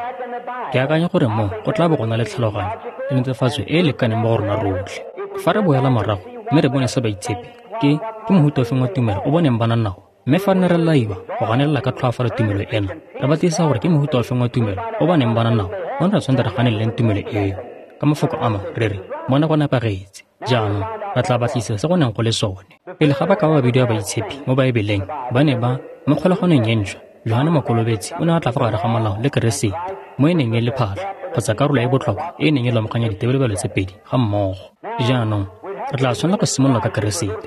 Ke akanya gore mo go tla bo go na le tlhaloganyo le netefatso e e lekaneng mo go rona rotlhe. Fa re boela morago mme re bone se baitshepi, ke mohuta ofeng wa tumelo o boneng ba na nao. Mme fa re ne re laiwa go ganelela ka tlhoafalo tumelo ena, re batlisisa gore ke mohuta ofeng wa tumelo o ba neng ba na nao, mo re tshwanetse re ganeleleng tumelo eo. Ka mafoko a mangwe re re, mona go nepagetse. Jaanong, re tla batlisisa se go neng go le sone. Pele ga ba ka ba bidiwa baitshepi mo Baebeleng, ba ne ba Mo kgolaganong e ntšhwa, Johane Mokolobetsi o ne a tla fa gare ga molao le Keresete, mo e neng e le phatlha kgotsa karolo e e botlhokwa e e neng e lomaganya ditebelebelo tse pedi ga mmogo. Jaanong, re tla tshwanela go simolola ka Keresete,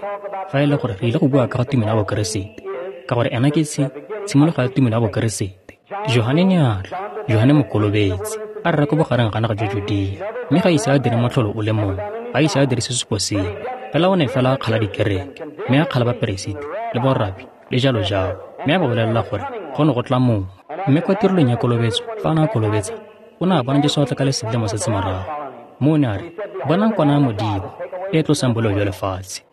fa e le gore re ile go bua ka ga tumelo ya Bokeresete, ka gore ena ke tshimologo ya tumelo ya Bokeresete. Johane ne a tla, Johane Mokolobetsi, a rera ko bogareng ga naga jwa Judea, mme ga ise a dire motlholo o le mongwe, ga ise a dire sesupo sengwe, fela o ne fela a kgala dikereke, mme a kgala baperesiti le borabi le jalo jalo, mme a ba bolelela gore go ne go tla mongwe. Mme kwa tirelong ya kolobetso, fa a ne a kolobetsa, o ne a bona Jesu a tla ka lesedi le mo setse morago. Mme o ne a re, "Bonang kwana ya Modimo, e e tlosang boleo jwa lefatshe."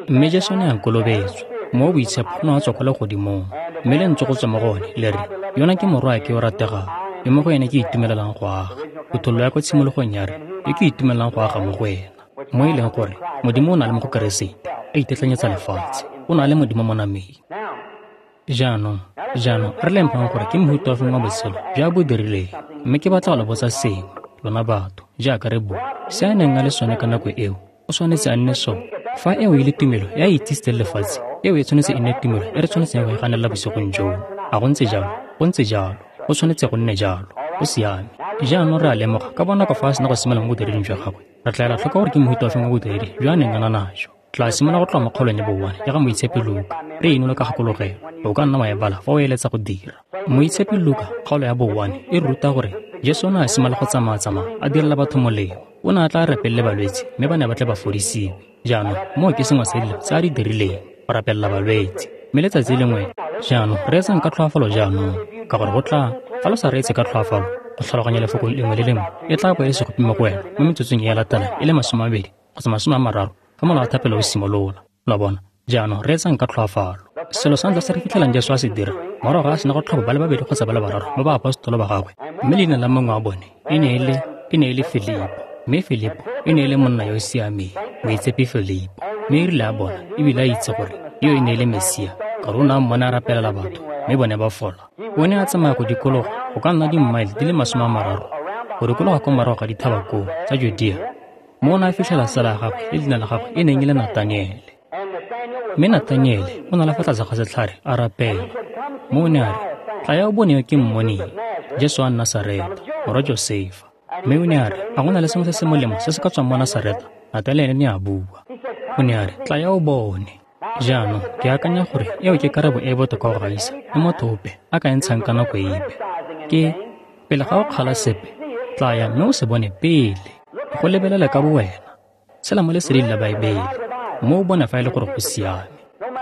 Mme Jesu ne a kolobetswa, Mowa o Boitshepo o ne wa tswa kwa legodimong, mme lentswe go tswa mo go one le re, "Yona ke Morwaake yo o rategang, yo mo go ene ke itumelelang go aga." Phuthololo ya kwa tshimologong ya re, "Yo ke itumelang go aga mo go ena." Mo e leng gore Modimo o na le mo go Keresete, a itetlanyetsa lefatshe, o na le Modimo mo nameng. Jaanong, re lemphang gore ke mohuta ofeng wa botshelo jo a bo dirileng, mme ke batla go le botsa sengwe, lona batho, jaaka re bua. Se a neng a le sone ka nako eo, o tshwanetse a nne sone. Fa eo e le tumelo e a itsisitseng lefatshe, eo e tshwanetse e nne tumelo e re tshwanetseng go e ganelela bosigong joo. A go ntse jalo? Go ntse jalo. Go tshwanetse go nne jalo. Go siame. Jaanong re a lemoga ka bonako fa a sena go simolola mo bodireding jwa gagwe, re tla ela tlhoko gore ke mohuta ofeng wa bodiredi jo a neng a na najo. Tla simolola go tloga mo kgaolong ya bo-1 ya ga Moitshepi Luka, re inola ka kgakologelo. O ka nna wa e bala fa o eletsa go dira. Moitshepi Luka, kgaolo ya bo-1, e ruta gore Jesu o ne a simolola go tsamaya-tsamaya a direla batho molemo. O ne a tla rapelele balwetse, mme ba ne ba tle ba fodisiwe. Jaanong, moo ke sengwe sa dilo tse a di dirileng, go rapelela balwetse. Mme letsatsi lengwe, jaanong, reetsang ka tlhoafalo jaanong, ka gore go tla, fa lo sa reetse ka tlhoafalo, go tlhaloganya lefoko lengwe le lengwe, e tla bo e se gope mo go wena mo metsotsong e e latelang e le 20 kgotsa 30 fa mola wa thapelo o simolola. Lo a bona? Jaanong reetsang ka tlhoafalo. Selo sa ntlha se re fitlhelang Jesu a se dira, morago ga a sena go tlhopha ba le babedi kgotsa ba le bararo ba baapostolo ba gagwe, mme leina la mongwe wa bone e ne e le Filipo. Mme Filipo e ne e le monna yo o siameng, moitshepi Filipo. Mme e rile a bona, ebile a itse gore yo e ne e le Mesia, ka gore o ne a mmona a rapelela batho, mme bone ba fola. O ne a tsamaya go dikologa go ka nna dimmaele di le 30 go dikologa kwa morago ga dithaba koo tsa Judea, mo o ne a fitlhela tsala ya gagwe le leina la gagwe e neng e le Nathaniele. Mme Nathaniele o ne a le fa tlase ga setlhare a rapela. Mo o ne a re, "Tlaya o bone yo ke mmoneng, Jesu wa Nasareta, morwa Josefa." Mme o ne a re, "A go na le sengwe se se molemo se se ka tswang mo Nasareta?" Nathaniele ne a bua. O ne a re, "Tlaya o bone." Jaanong, ke akanya gore eo ke karabo e e botoka go gaisa e motho ope a ka e ntshang ka nako epe. Ke, pele ga o kgala sepe, tlaya mme o se bone pele. Go lebelela ka bowena, tshela mo leseding la Baebele, mme o bone fa e le gore go siame.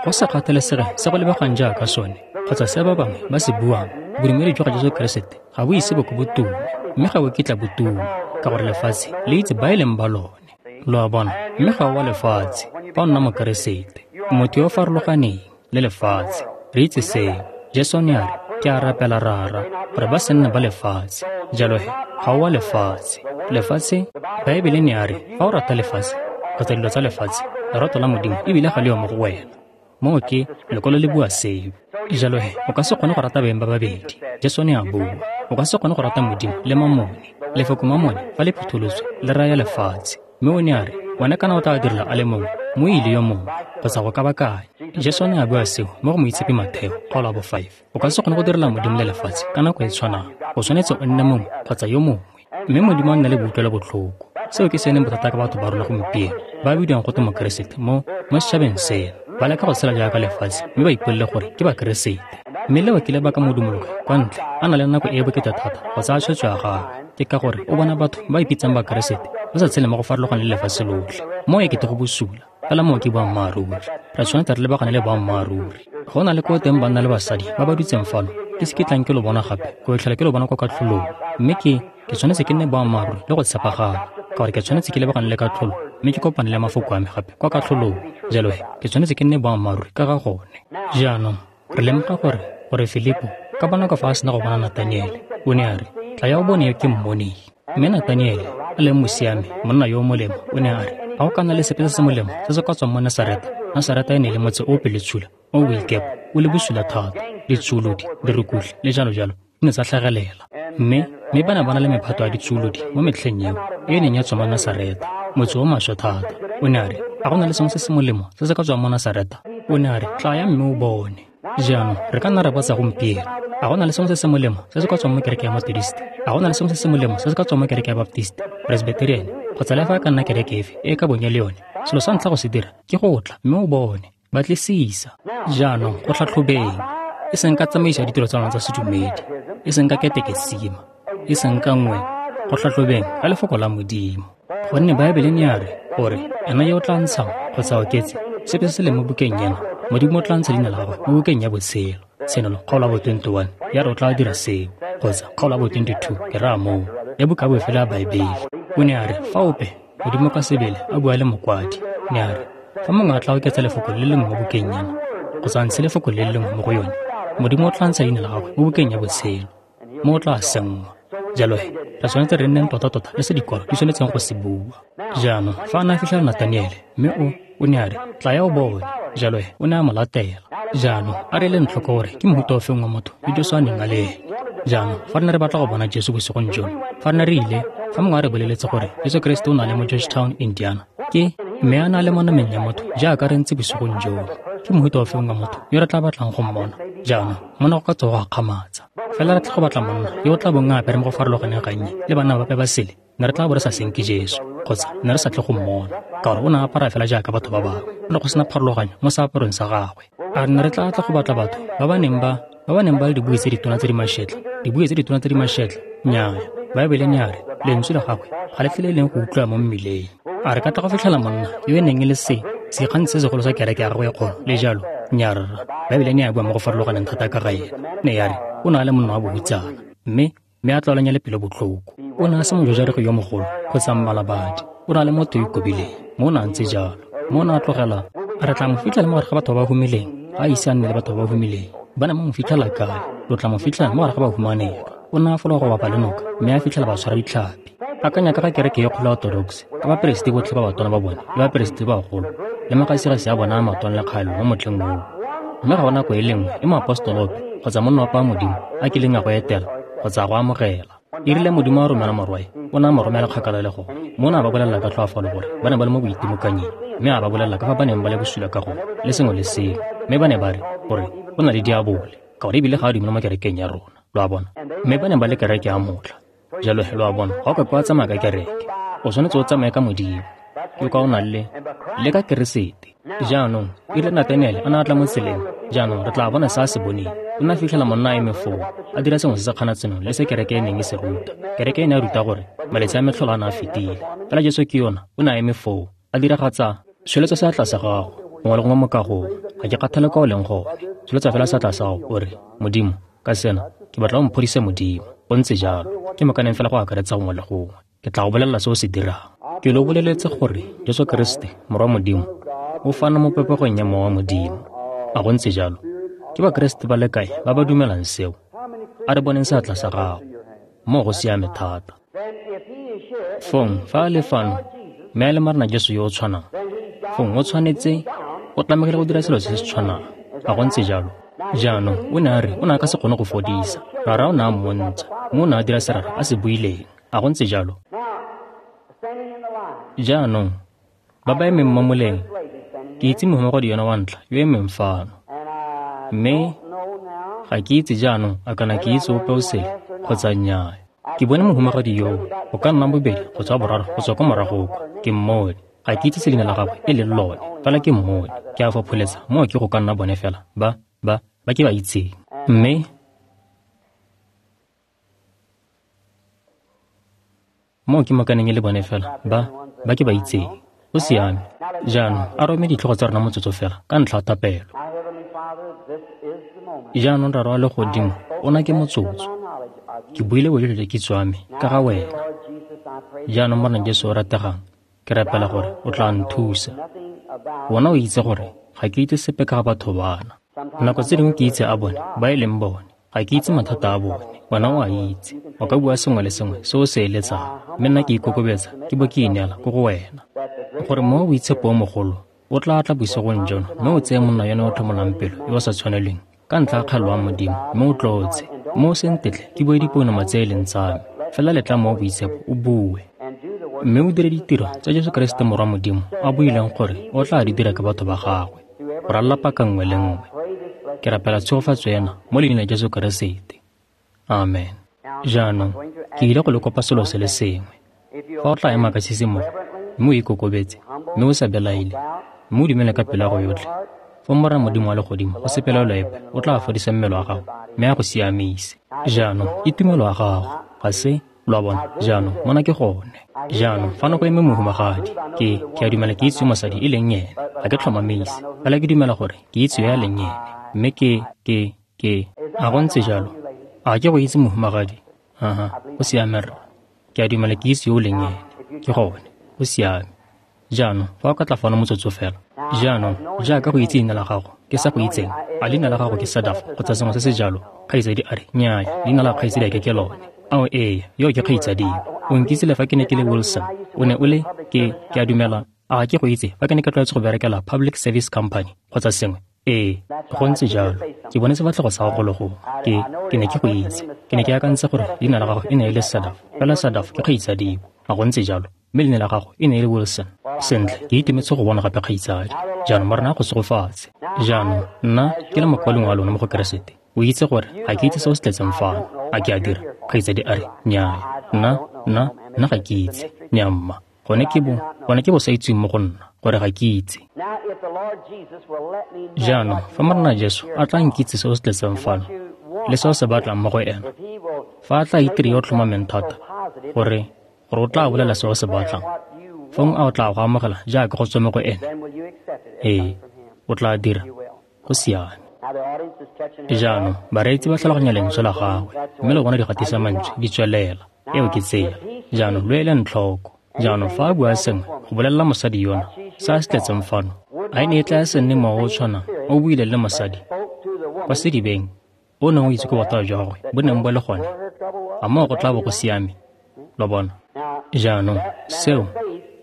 Go sa kgathalesege se go lebegang jaaka sone, kgotsa se ba bangwe ba se buang, bodumedi jwa ga Jesu Keresete ga bo ise bo ko bo tume, mme ga bo kitla bo tuma, ka gore lefatshe le itse ba e leng ba lone. Lo a bona? Mme ga o wa lefatshe fa o nna Mokeresete, motho yo o farologaneng le lefatshe. Re itse seo. Jesu ne a re, "Ke a rapela Rara, gore ba se nne ba lefatshe." Jalo he, ga o wa lefatshe. Lefatshe, Baebele ne a re, fa o rata lefatshe, kgotsa dilo tsa lefatshe, lerato la Modimo ebile ga le yo mo go wena. Moo ke, lekwalo le bua seo. Jalo he, o ka se kgone go rata beng ba babedi. Jesu ne a bua, o ka se kgone go rata Modimo le mamone. Lefoko mamone, fa le phutholoswe, le raya lefatshe. Mme o ne a re, wena kana o tla direla a le mongwe, mo ile yo mongwe, kgotsa go kabakanya. Jesu ne a bua seo mo go Moitshepi Matheo, kgaolo ya bo 5. O ka se kgone go direla Modimo le lefatshe ka nako e tshwanang. O tshwanetse o nne mongwe kgotsa yo mongwe. Mme Modimo a nna le boutlwelo botlhoko. Seo ke se leng bothata ka batho ba rona gompieno, ba bidiwang go te Mokeresete mo setšhabeng seno. Ba leka go tshela jaaka lefatshe mme ba ipolele gore ke Bakeresete. Mme leo ke lebaka modumologi kwa ntle a na le nako e e bokete thata go tsaya tshwetso ya gagwe. Ke ka gore o bona batho ba ipitsang Bakeresete ba sa tshele mo go farologaneng le lefatshe lotlhe. Mo e kete go bosula, fela moo ke boammaaruri. Re tshwanetse re lebagane le boammaaruri. Go na le ko teng banna le basadi ba ba dutseng fano, ke se ke tlang ke lo bona gape, ko tlhela ke lo bona kwa katlholong. Mme ke tshwanetse ke nne boammaaruri le go tshepagala, ka gore ke tshwanetse ke lebagane le katlholo, mme ke kopane le mafoko a me gape kwa katlholong. Jalo he, ke tshwanetse ke nne boammaaruri ka ga gone. Jaanong, re lemoga gore Filipo, ka bonako fa a sena go bona Nathaniele, o ne a re, "Tlaya o bone yo ke mmoneng." Mme Nathaniele, a leng mosiami, monna yo o molemo, o ne a re, "A go ka nna le sepe se se molemo se se ka tswang mo Nasareta?" Nasareta e ne e le motse o o pelotshula, o o boikepo, o le bosula thata, ditsuolodi, dirukutlhi, le jalo jalo, di ne tsa tlhagelela. Mme ba ne ba na le mephato ya ditsuolodi mo metlheng eo, e e neng ya tswa mo Nasareta, motse o maswe thata. O ne a re, "A go na le sengwe se se molemo se se ka tswang mo Nasareta?" O ne a re, "Tlaya mme o bone." Jaanong re ka nna ra botsa gompieno, a go na le sengwe se se molemo se se ka tswang mo kereke ya Methodist? A go na le sengwe se se molemo se se ka tswang mo kereke ya Baptist, Presbyterian, kgotsa le fa e ka nna kereke efe e e ka bong e le yone? Selo sa ntlha go se dira ke go tla mme o bone, batlisisa. Jaanong go tlhatlhobeng, e seng ka tsamaiso ya ditiro tsa lona tsa sedumedi, e seng ka ketekesima, e seng ka nngwe, go tlhatlhobeng ka lefoko la Modimo. Gonne Baebele ne ya re, gore ena yo o tla ntshang kgotsa oketse sepe se se leng mo bukeng ena, Modimo o tla ntsha leina la gagwe mo bukeng ya botshelo. Tshenolo kgaolo ya bo 21 ya re o tla dira seo, kgotsa kgaolo ya bo 22, ke raya moo, ya buka ya bofelo ya Baebele. O ne a re, fa ope, Modimo ka sebele a bua le mokwadi, ne a re, fa mongwe a tla oketsa lefoko le lengwe mo bukeng ena, kgotsa a ntshe lefoko le lengwe mo go yone, Modimo o tla ntsha leina la gagwe mo bukeng ya botshelo, mo o tla senngwa. Jalo he, re tshwanetse re nneng tota-tota le se dikwalo di tshwanetseng go se bua. Jaanong, fa a ne a fitlhela Nathaniele, mme o ne a re, tlaya o bone. Jalo he, o ne a mo latela. Jaanong, a re leng tlhoko gore ke mohuta ofeng wa motho yo Jesu a neng a le ene. Jaanong, fa re ne re batla go bona Jesu bosigong jono, fa re ne re ile, fa mongwe a re boleletse gore Jesu Keresete o na le mo Georgetown, Indiana, ke mme a na le mo nameng ya motho jaaka re ntse bosigong jono, ke mohuta ofeng wa motho yo re tla batlang go mmona? Jaanong, mona go ka tswa go gakgamatsa. Fela re tla go batla monna yo o tla bong a apere mo go farologaneng gannye le banna bape ba sele, ne re tla bo re sa senke Jesu, kgotsa ne re sa tle go mmona, ka gore o ne a apara fela jaaka batho ba bangwe, go ne go sena pharologanyo mo seaparong sa gagwe. A ne re tla tla go batla batho ba ba neng ba le dibui tse ditona tse di mašetla, dibui tse ditona tse di mašetla? Nnyaa, Baebele ne ya re lentswe la gagwe ga le tlile leng go utlwa mo mmileng. A re ka tla go fitlhela monna yo e neng e le sekgang se segolo sa kereke ya gagwe e kgolo le jalo? Nnyaa rra, Baebele ne ya bua mo go farologaneng thata ka ga ena. Ne ya re o ne a le monna wa bohutsana, mme a tlwaelanya le pelo botlhoko. O ne a se mojojarego yo mogolo kgotsa mmalabadi, o ne a le motho yo ikobileng, mo o ne a ntse jalo. Mo o ne a tlogela, re tla mo fitlhela mo gare ga batho ba ba humileng, ga a ise a nne le batho ba ba humileng. Ba ne ba mo fitlhela kae? Lo tla mo fitlhela mo gare ga bahumanegi. O ne a fologa go bapa le noka, mme a fitlhela ba tshwara ditlhapi. Akanya ka ga kereke e kgolo ya Orthodox, ka baperesiti botlhe ba batona ba bone le baperesiti ba bagolo, le magasigasi a bona a matona le kgaelelo mo motlheng oo. Mme ga go nako e le nngwe e moapostolo ope kgotsa monna ope wa Modimo a kileng a go etela kgotsa a go amogela. E rile Modimo a romela morwae, o ne a mo romela kgakala le gone. Mo o ne a ba bolelela ka tlhoafalo gore ba ne ba le mo boitimokanyeng, mme a ba bolelela ka fa ba neng ba le bosula ka gone le sengwe le sengwe. Mme ba ne ba re gore o na le diabole, ka gore ebile ga a dumela mo kerekeng ya rona, lo a bona. Mme ba ne ba le kereke ya motlha. Jalo he, lo a bona, ga o ka kwa tsamaya ka kereke, o tshwanetse o tsamaye ka Modimo, ke kwa o nang le ka Keresete. Jaanong, e rile Nathaniele a ne a tla mo tseleng, jaanong re tla bona se a se boneng. O ne a fitlhela monna a eme foo, a dira sengwe se se kganatsenong le se kereke e neng e se ruta. Kereke e ne a ruta gore malatsi a metlholo a ne a fetile. Fela Jesu ke yona, o ne a eme foo, a diragatsa. Tsholetsa seatla sa gago, gongwe le gongwe mo kagong, ga ke kgathale kwa o leng gone. Tsholetsa fela seatla sa gago, o re, Modimo, ka sena, ke batla o mphodise Modimo. Go ntse jalo, ke mokaneng fela go akaretsa gongwe le gongwe. Ke tla go bolelela se o se dirang. Ke lo boleletse gore Jesu Keresete, Morwa Modimo, o fana mo popegong ya Mowa wa Modimo. A go ntse jalo? Ke Bakeresete ba le kae ba ba dumelang seo? A re boneng seatla sa gago. Moo go siame thata. Fong, fa a le fano, mme a le Morena Jesu yo o tshwanang, fong o tshwanetse, o tlamegile go dira selo se se tshwanang. A go ntse jalo? Jaanong, o ne a re o ne a ka se kgone go fodisa. Rara o ne a mmontsha, mme o ne a dira se Rara a se buileng. A go ntse jalo? Jaanong, ba ba emeng mo moleng, ke itse mohumagadi yona wa ntlha yo emeng fano. Mme ga ke itse jaanong a kana ke itse ope o sele kgotsa nnyaa. Ke bone mohumagadi yoo, go ka nna bobedi kgotsa boraro go tswa kwa morago kwa, ke mmone. Ga ke itse se leina la gagwe e leng lone, fela ke mmone. Ke a fopholetsa moo ke go ka nna bone fela ba ke ba itseng. Mme moo ke mokaneng e le bone fela ba ke ba itseng. Go siame. Jaanong a rome ditlhogo tsa rona motsotso fela ka ntlha ya thapelo. Jaanong Rara wa Legodimo, ona ke motsotso. Ke buile bojotlhe jwa kitso ya me ka ga wena. Jaanong Morena Jesu o rategang, ke rapela gore o tla nthusa. Wena o itse gore ga ke itse sepe ka ga batho bana. Nako tse dingwe ke itse a bone ba e leng bone. Ga ke itse mathata a bone. Wena o a itse. O ka bua sengwe le sengwe se o se eletsang, mme nna ke ikokobetsa ke bo ke ineela ko go wena. Gore Mowa o Boitshepo o mogolo o tla tla bosigong jono mme o tseye monna yone o tlhomolang pelo yo o sa tshwanelweng ka ntlha ya kgaelo ya Modimo, mme o tlotse. Mme o se ntetle ke bue dipounama tse e leng tsa me, fela letla Mowa o Boitshepo o bue, mme o dire ditiro tsa Jesu Keresete Morwa Modimo a buileng gore o tla di dira ka batho ba gagwe go ralala paka nngwe le nngwe. Ke rapela tshegofatso ena mo leineng la Jesu Keresete. Amen. Jaanong, ke ile go le kopa selo se le sengwe. Fa o tla ema ka tshisimogo, mme o ikokobetse, mme o sa belaele, mme o dumele ka pelo ya go yotlhe, fa Morena Modimo wa Legodimo go se pelaelo epe o tla fodisa mmele wa gago mme a go siamise. Jaanong, ke tumelo ya gago, ga se? Lo a bona? Jaanong, mona ke gone. Jaanong, fano go eme mohumagadi. Ke a dumela ke itse mosadi e leng ene. Ga ke tlhomamise, fela ke dumela gore ke itse yo a leng ene. Mme ke, a go ntse jalo? A ke go itse mohumagadi? Aha, go siame rra. Ke a dumela ke itse yo o leng ene. Ke gone, go siame. Jaanong, fa o ka tla fano motsotso fela. Jaanong, jaaka go itse leina la gago, ke sa go itseng. A leina la gago ke Sadaf kgotsa sengwe se se jalo? Kgaitsadi a re, nnyaya, leina la kgaitsadi a ke lone. Ao ee, yo ke kgaitsadio. O nkitse le fa ke ne ke le Wilson. O ne o le, ke a dumela, a ke go itse fa ke ne ke tlwaetse go berekela Public Service Company kgotsa sengwe. Ee, go ntse jalo. Ke bone sefatlhego sa gago golo gongwe. Ke ne ke go itse. Ke ne ke akantse gore leina la gago e ne e le Sadaf. Fela Sadaf ke kgaitsadio. A go ntse jalo? Mme leina la gago e ne e le Wilson. Sentle, ke itumetse go bona gape kgaitsadi. Jaanong Morena a go segofatse. Jaanong, nna ke le mokwalong wa lona mo go Keresete. O itse gore ga ke itse se o se tletseng fano. A ke a dira? Kgaitsadi a re, nnyaya. Nna ga ke itse. Nnyaa mma. Gone ke bo sa itseng mo go nna, gore ga ke itse. Jaanong, fa Morena Jesu a tla nkitse se o se tletseng fano, le se o se batlang mo go ena, fa a tla itire yo tlhomameng thata, gore o tla bolela se o se batlang, fong a o tla go amogela jaaka go tswa mo go ene? Ee, o tla dira. Go siame. Jaanong, bareetsi ba tlhaloganya lentswe la gagwe, mme le bona digatisa mantswe di tswelela. Eo ke tsela. Jaanong, lo eleng tlhoko. Jaanong, fa a bua sengwe go bolelela mosadi yona se a se tletseng fano, a e ne e tla se nne mowa o tshwanang o buile le mosadi kwa sedibeng o neng o itse ko bothata jwa gagwe bo neng bo le gone? A moo go tla bo go siame? Lo bona? Jaanong, seo,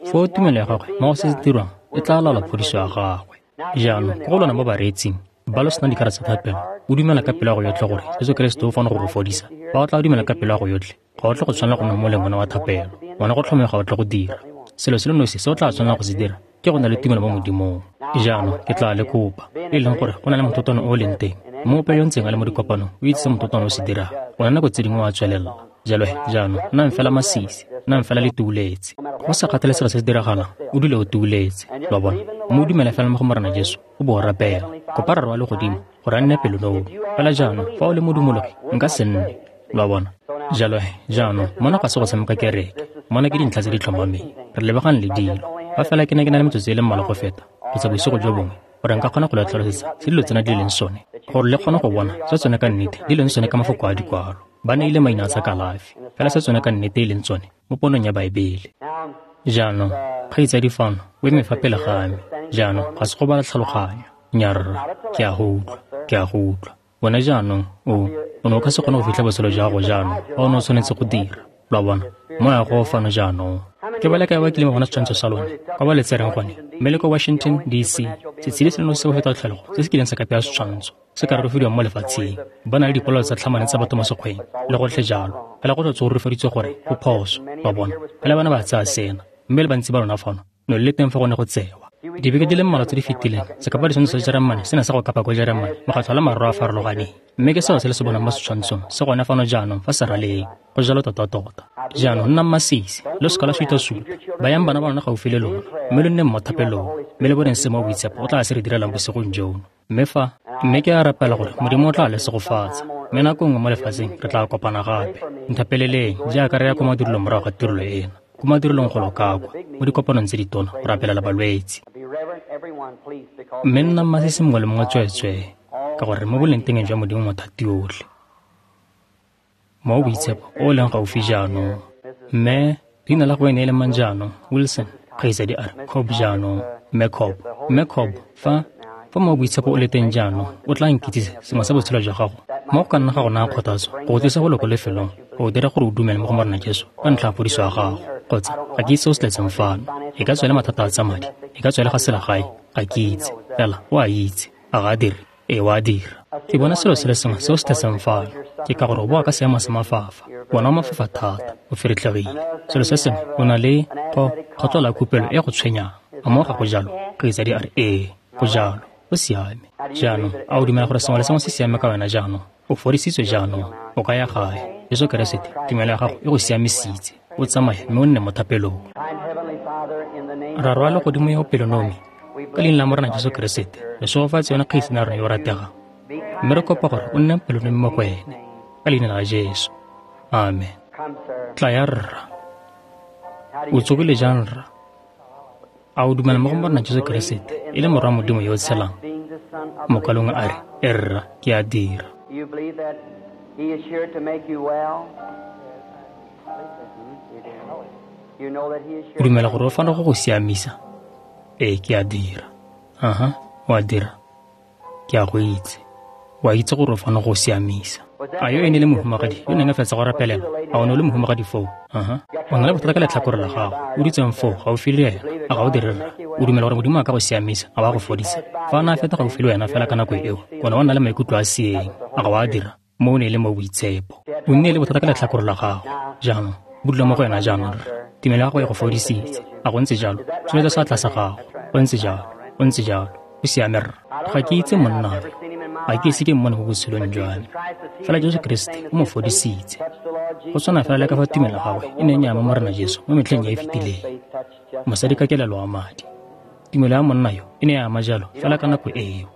foo tumelo ya gagwe mo go se se dirwang e tla laola phodiso ya gagwe. Jaanong, ko go lona mo bareetsing ba lo sena dikarata tsa thapelo, o dumela ka pelo ya go yotlhe gore Jesu Keresete o fano go go fodisa. Fa o tla dumela ka pelo ya go yotlhe, ga o tle go tshwanela go nna mo moleng wa thapelo. Wena go tlhomega ga o tle go dira. Selo se le nosi se o tla tshwanela go se dira ke go na le tumelo mo Modimong. Jaanong, ke tla le kopa, e leng gore go na le mototwane o leng teng. Mme ope yo ntseng a le mo dikopanong o itse se mototwane o se dirang. Ona nako tse dingwe wa tswelela. Jalo jaanong, nnang fela masisi, nnang fela le tuuletse. Go sa kgathalesege se se diragalang, o dule o tuuletse. Lo bona? Mme o dumela fela mo go Morena Jesu, o bo o rapela. Kopa Rara wa Legodimo gore a nne pelonomi. Fela jaanong, fa o le modumologi, nka se nne. Lo bona? Jalo jaanong, mona ga se go tshameka kereke. Mona ke dintlha tse di tlhomameng. Re lebagane le dilo. Fa fela ke ne ke na le metsotso e le mmalwa go feta, kgotsa bosigo jo bongwe, gore nka kgona go le tlhalosetsa se dilo tsena di leng sone, gore le kgone go bona se tsone ka nnete di leng sone ka mafoko a dikwalo. Ba neile maina a tsa kalafi, fela se tsone ka nnete e leng tsone mo ponong ya Baebele. Jaanong, kgaitsadi fano o eme fa pele ga me. Jaanong, ga se go bala tlhaloganyo. Nnyaa rra, ke a go utlwa. Wena jaanong, o ne o ka se kgone go fitlha botshelo jwa gago jaanong, fa o ne o tshwanetse go dira. Lo a bona? Moya go fano jaanong. Ke ba le kae ba kileng ba bona setshwantsho sa lone, kwa ba le tsereng gone, mme le ko Washington DC, setshedi se le nosi sa go feta tlholego se se kileng sa ka pea setshwantsho se ka rurufediwang mo lefatsheng. Ba na le dipolelo tsa tlhamane tsa batho mo sekgweng, le gotlhe jalo. Fela go tlotse go rurufaditswe gore go phoso, lo a bona. Fela bana ba tsaya sena, mme le bantsi ba lona fano, no le teng fa go ne go tsewa. Dibeke di le mmalwa tse di fetileng, sekapa ditshwantsho sa Jeremane se ne sa go kapa ko Jeremane, mokgatlho wa marro a farologaneng. Mme ke seo se le se bonang mo setshwantshong se gone fano jaanong fa seraleng. Go jalo tota-tota. Jaanong nnang masisi, lo seka la suta-suta. Bayang bana ba lona gaufi le lona, mme lo nneng mo thapelong, mme le boneng se mo boitshepo o tla se re direlang bosigong jono. Mme ke a rapela gore Modimo o tla le segofatsa. Mme nako nngwe mo lefatsheng re tla kopana gape. Nthapeleleng jaaka re ya kwa madirelong morago ga tirelo ena. Ko madirelong go lokakwa, mo dikopanong tse ditona go rapelela balwetse. Mme nnang masisi mongwe le mongwe tsweetswee, ka gore mo boleng teng jwa Modimo mothati yotlhe. Mo boitshepo o leng gaufi jaanong. Mme leina la go ene e le mang jaanong? Wilson, kgaitsadi a re, Cobb jaanong. Mme Cobb, fa mo boitshepo o le teng jaanong, o tla nkitsise sengwe sa botshelo jwa gago. Mo go ka nna ga go naya kgothatso, go tlisa go le ko lefelong, go dira gore o dumele mo go Morena Jesu ka ntlha ya phodiso ya gago. Kgotsa, ga ke itse se o se tletseng fano. E ka tswa e le mathata a tsa madi, e ka tswa e le ga selegae, ga ke itse. Fela, o a itse. A ga a dire? Ee, o a dira. Ke bona selo se le sengwe se o se tletseng fano. Ke ka gore o boa ka seemo sa mafafa. Wena o mafafa thata, o feretlhegile. Selo se sengwe, o na le kgotlelo ya khupelo e go tshwenyang. A moo ga go jalo? Kgaitsadi a re, ee, go jalo. Go siame. Jaanong, a o dumela gore sengwe le sengwe se siame ka wena jaanong? O fodisitswe jaanong. O ka ya gae. Jesu Keresete, tumelo ya gago e go siamisitse. O tsamaye mme o nne mo thapelong. Rara wa legodimo yo o pelonomi, ka leina la Morena Jesu Keresete, re segofatse yone kgaitsane ya rona yo o rategang. Mme re kopa gore o nne pelonomi mo go ene. Ka leina la Jesu. Amen. Tla ya rra. O tsogile jang rra? A o dumela mo go Morena Jesu Keresete e le morwa Modimo yo o tshelang? Mokalong a re, e rra, ke a dira. O dumela gore o fano go go siamisa? Ee, ke a dira. Aha, o a dira. Ke a go itse. O a itse gore o fano go siamisa. A yo ene le mohumagadi yo neng a fetsa go rapelela? A o ne o le mohumagadi foo? Aha. O na le bothata ka letlhakore la gago. O dutseng foo gaufi le ena. A ga o dire rra? O dumela gore Modimo a ka go siamisa, a ba go fodisa? Fa a ne a feta gaufi le wena fela ka nako eo, o ne wa nna le maikutlo a seeng. A ga o a dira? Mo o ne le mo boitshepo. O nne le bothata ka letlhakore la gago. Jaanong, bo dula mo go wena jaanong rra. Tumelo ya gago e go fodisitse. A go ntse jalo? Tsholetsa seatla sa gago. Go ntse jalo. Go ntse jalo. O siame rra. Ga ke itse monna yo. Ga ke ise ke mmone mo botshelong jwa me. Fela Jesu Keresete o mo fodisitse. Go tshwana fela le ka fa tumelo ya gagwe e neng ya ama Morena Jesu mo metlheng e e fetileng. Mosadi ka kelelo wa madi. Tumelo ya monna yo e ne ya ama jalo fela ka nako eo.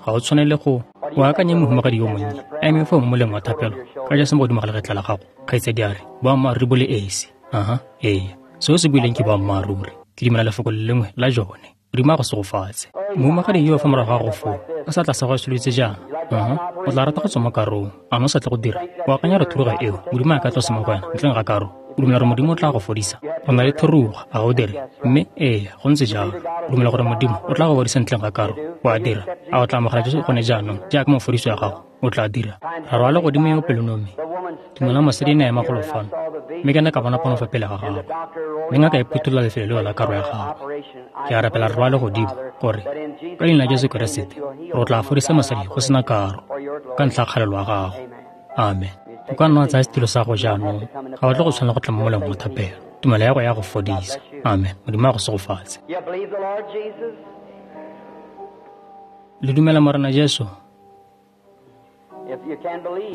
Ga o tshwanele go o akanye mohumagadi yo monnye a eme foo mo moleng wa thapelo ka ja se mo godimo ga legetla la gago. Kgaitsadi a re, boammaaruri bo le esi. Aha, ee. Se o se buileng ke boammaaruri. Ke dumela lefoko le lengwe la jone. Modimo a go segofatse. Mohumagadi yo fa morago ga go foo, ka seatla sa go soletse jaana. Aha, o tla rata go tswa mo karong. A no sa tle go dira? O akanya re thuruga eo, Modimo a ka tlosa mo go wena, ntleng ga karo. O dumela gore Modimo o tla go fodisa? O na le thuruga, a ga o dire? Mme ee, go ntse jalo. O dumela gore Modimo o tla go fodisa ntleng ga karo? O a dira? A o tla amogela Jesu gone jaanong jaaka mofodiso ya gago? O tla dira. Rara wa legodimo yo pelonomi, tumelo ya mosadi e ne ya ema golo fano, mme ke ne ka bona pono fa pele ga gagwe. Mme ngaka e phuthulola lefelo leo la karo ya gagwe. Ke a rapela Rara wa legodimo gore ka leina la Jesu Keresete gore o tla fodisa mosadi go sena karo ka ntlha ya kgalelo ya gago. Amen. O ka nna wa tsaya setilo sa go jaanong. Ga o tle go tshwanela go tla mo moleng wa thapelo. Tumelo ya go ya go fodisa. Amen. Modimo a go segofatse. Le dumela Morena Jesu?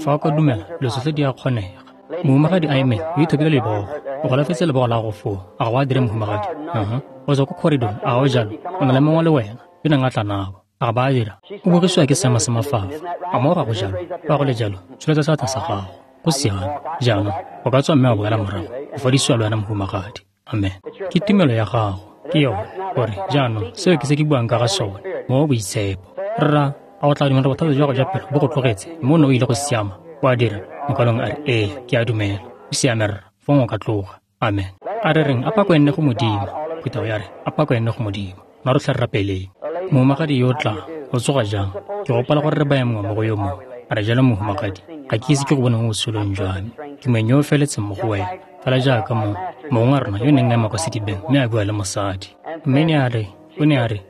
Fa o ka dumela, dilo tsotlhe di a kgonega. Mohumagadi a eme, o ithopile lebogo. O golafetse lebogo la gago foo. A ga o a dire mohumagadi? Aha. O tswa ko corridor, a ga o jalo? O na le mongwe le wena, yo neng a tla nabo. A ga ba a dira? O bogisiwa ke seemo sa mafafa. A mo ga go jalo? Fa go le jalo, tsholetsa seatla sa gago. Go siame. Jaanong, o ka tswa mme wa boela morago. O fodisiwa le wena mohumagadi. Amen. Ke tumelo ya gago. Ke yone. Gore, jaanong, seo ke se ke buang ka ga sone. Mo boitshepo. Rra, a o tla dumela bothata jwa go ja pelo bo go tlogetse mme o ne o ile go siama? O a dira? Mokwalong a re, ee, ke a dumela. O siame rra, fong o ka tloga. Amen. A re reng, a pako e nne go Modimo. Phuthego ya re, a pako e nne go Modimo. Mma rotlhe re rapeleng. Mohumagadi yo o tlang, o tsoga jang? Ke gopola gore re baya mongwe mo go yo mongwe. A re jalo mohumagadi, ga ke ise ke go bone mo botshelong jwa me. Ke moeng yo o feletseng mo go wena. Fela jaaka mo mongwe wa rona yo neng a ema kwa sedibeng mme a bua le mosadi. Mme ne a re, o ne a re,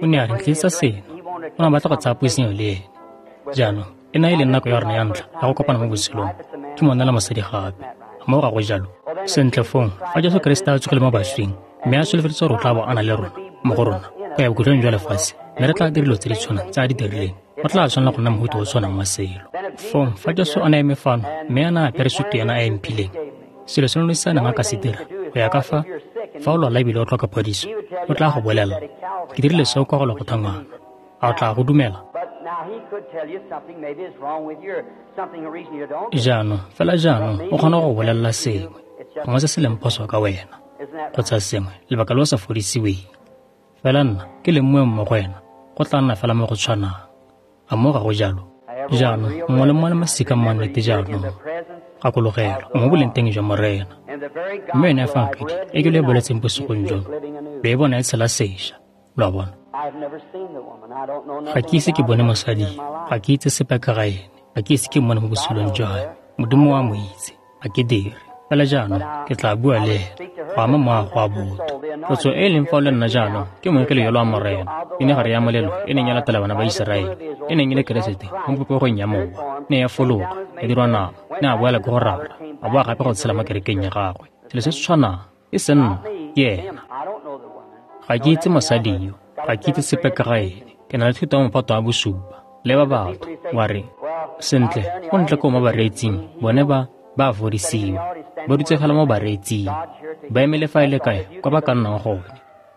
o ne a re, ntlisetsa seno. O ne a batla go tsaya puisanyo le ene. Jaanong, e na e leng nako ya rona ya ntlha ya go kopana mo botshelong. Ke monna le mosadi gape. A moo ga go jalo? Sentle fong, fa Jesu Keresete a tsogile mo baswing, mme a solofeditse gore o tla bo a na le rona, mo go rona, go ya bokhutlong jwa lefatshe, mme re tla dira dilo tse di tshwanang tse a di dirileng, go tla tshwanela go nna mohuta o tshwanang wa selo. Fong, fa Jesu a ne a eme fano, mme a ne a apere sutu ena a e mphileng, selo se se a neng a ka se dira, go ya ka fa, fa o lwala ebile o tlhoka phodiso, o tla go bolelela, ke dirile seo kwa go Golgotha ngwana. A o tla go dumela? Jaanong, fela jaanong o kgona go bolelela sengwe, gongwe se se leng phoso ka wena, kgotsa sengwe, lebaka le o sa fodisiweng. Fela nna ke leng moeng mo go wena, go tla nna fela mo go tshwanang. A mo ga go jalo? Jaanong, mongwe le mongwe le masika mo nnete jaanong. Gakologelwa, o mo boleng teng jwa Morena. Mme yone efangedi e ke lo e boletseng bosigong jono, lo e bona e tshela sešwa. Lo a bona? Ga ke ise ke bone mosadi, ga ke itse sepe ka ga ene, ga ke ise ke mmone mo botshelong jwa me. Modimo wa mo itse, ga ke dire. Fela jaanong ke tla bua le ene go ama moago wa botho. Tlotso e e leng fa o le nna jaanong ke moengele yola wa Morena. E ne gare ya molelo e neng ya latela bana ba Iseraele, e neng e le Keresete mo popegong ya mowa, ne ya fologa, ya dirwa nama, ne a boela ko go Rara, a boa gape go tshela mo kerekeng ya gagwe. Selo se se tshwanang, e se nna, ke ena. Ga ke itse mosadi yo, ga ke itse sepe ka ga ene. Ke na le thuto ya mophato wa bosupa. Leba batho, wa re, sentle, go ntle ko mo bareetsing, bone ba a fodisiwa. Ba dutse fela mo bareetsing. Ba emele fa e le kae kwa ba ka nnang gone.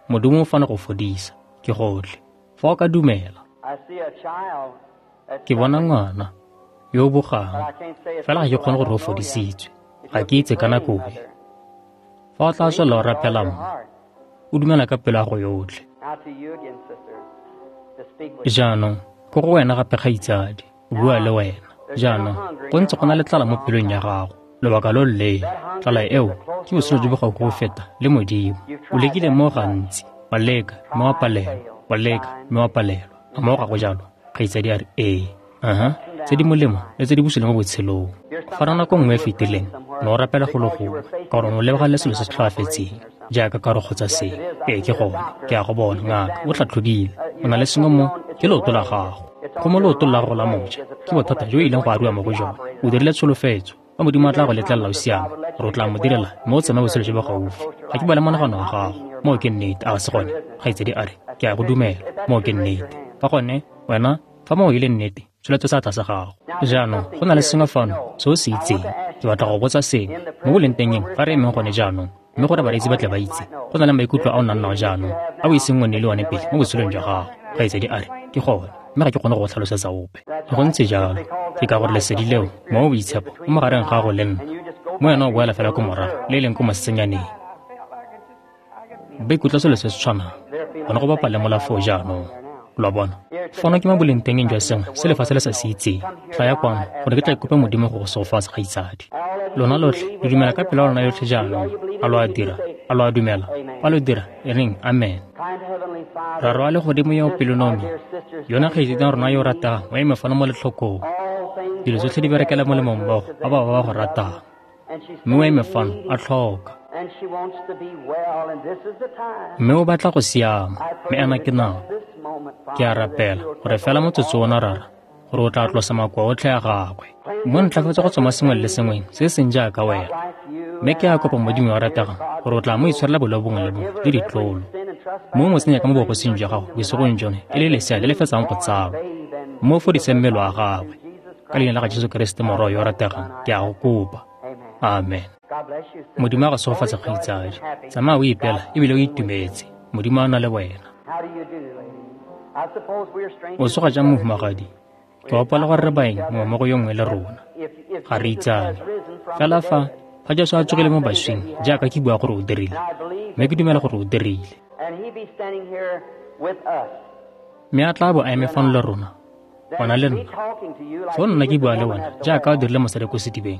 Modimo o fano go fodisa, ke gotlhe. Fa o ka dumela. Ke bona ngwana yo o bogang, fela ga ke kgone gore o fodisitswe. Ga ke itse ka nako e. Fa o tla tswelela o rapela mma, o dumela ka pelo ya go yotlhe. Jaanong, ko go wena gape kgaitsadi, o bua le wena. Jaanong, go ntse go na le tlala mo pelong ya gago. Lobaka lo loleele. Tlala eo ke botshelo jo bo gaufi go feta le Modimo. O lekile mo gantsi, wa leka mme wa palelwa, wa leka mme wa palelwa. A mo ga go jalo? Kgaitsadi a re ee. Tse di molemo le tse di bosula mo botshelong. Fa nako nngwe e fetileng, ne o rapela go le gongwe, ka gore o lebega le selo se se tlhoafetseng, jaaka karo kgotsa sengwe. Ee, ke gone, ke a go bona, ngaka, o tlhatlhobile. O na le sengwe mo, ke leoto la gago. Go mo leotong la gago la moja, ke bothata jo e ileng go ariwa mo go jone. O dirile tsholofetso, fa Modimo a tla go letlelela o siame, gore o tla mo direla mme o tsamaye botshelo jo bo gaufi. Ga ke bale monagano wa gago. Moo ke nnete, a ga se gone? Kgaitsadi a re, ke a go dumela. Moo ke nnete. Fa gone, wena, fa moo e le nnete, tsholetsa seatla sa gago. Jaanong, go na le sengwe fano se o se itseng. Ke batla go botsa sengwe. Mo bolengtengeng, fa re emeng gone jaanong, mme gore bareetsi ba tle ba itse, go na le maikutlo a o nang nao jaanong, a o iseng o nne le one pele mo botshelong jwa gago. Kgaitsadi a re, ke gone, mme ga ke kgone go go tlhalosetsa ope. Go ntse jalo, ke ka gore lesedi leo, mowa o boitshepo, o mo gareng ga gago le nna. Mo wena o boela fela ko morago, le e leng ko mosetsenyaneng. Ba ikutlwa selo se se tshwanang, gone go bapa le molafo jaanong. Lo a bona? Fano ke mo bolengtengeng jwa sengwe se lefatshe le sa se itseng. Tlaya kwano, gore ke tla ikope Modimo go go segofatsa, kgaitsadi. Lona lotlhe, le dumela ka pelo ya lona yotlhe jaanong. A lo a dira? A lo a dumela? Fa lo dira, e reng amen. Rara wa legodimo yo o pelonomi, yona kgaitsadi ya rona yo o rategang o eme fano mo letlhokong. Dilo tsotlhe di berekela molemo mmogo ba ba ba go ratang. Mme o eme fano a tlhoka. Mme o batla go siama, mme ena ke nako. Ke a rapela gore fela motsotso ona, Rara, gore o tla tlosa makoa otlhe a gagwe. Mo ntlafatse go tswa mo sengweng le sengweng se seng jaaka wena. Mme ke a kopa Modimo wa rategang gore o tla mo itshwarela boleo bongwe le bongwe le ditlolo. Mo mo tsenya ka mo bogosing jwa gago bosigong jone e le lesea le le fetsang go tsalwa. Mo fodise mmele wa gagwe. Ka leina la ga Jesu Keresete Morwa yo o rategang, ke a go kopa. Amen. Modimo a go segofatse, kgaitsadi. Tsamaya o ipela ebile o itumetse. Modimo a na le wena. O tsoga jang, mohumagadi? Ke gopola gore re baeng mongwe mo go yo nngwe le rona. Ga re itsane. Fela fa Jesu a tsogile mo baswing, jaaka ke bua gore o dirile, mme ke dumela gore o dirile. Mme a tla bo a eme fano le rona, wena le nna. Foo nna ke bua le wena jaaka o dirile mosadi ko sedibeng.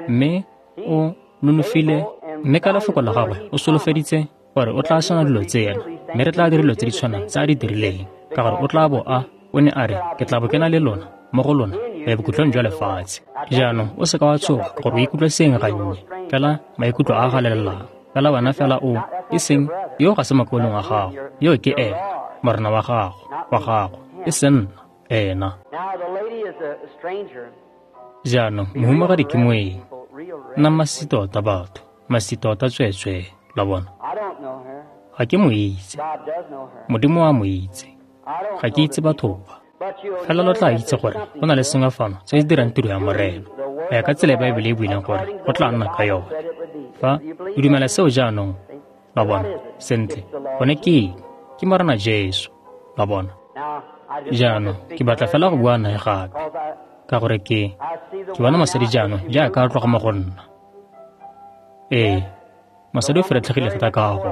Mme o nonofile, mme ka lefoko la gagwe o solofeditse gore o tla swana dilo tsena, mme re tla dira dilo tse di tshwanang tse a di dirileng, ka gore o tla bo a o ne a re, ke tla bo ke na le lona, mo go lona, go ya bokhutlong jwa lefatshe. Jaanong o seka wa tshoga gore o ikutlwe seng gannye, fela maikutlo a a galelelang. Fela wena fela o, e seng, yo ga se mokaulengwe wa gago, yo ke ena, Morena wa gago, e seng nna, ena. Jaanong mohumagadi ke moeng. Nna masisi tota batho, masisi tota tsweetswee, lo bona. Ga ke mo itse. Modimo a mo itse. Ga ke itse batho ba. Fela lo tla itse gore go na le sengwe fano se se dirang tiro ya Morena, go ya ka tsela e Baebele e buileng gore go tla nna ka yone. Fa o dumela seo jaanong, lo bona, sentle, gone ke eng? Ke Morena Jesu, lo bona. Jaanong ke batla fela go bua nae gape, ka gore ke bona mosadi jaanong jaaka a tloga mo go nna. Ee, mosadi o feretlhegile thata ka go.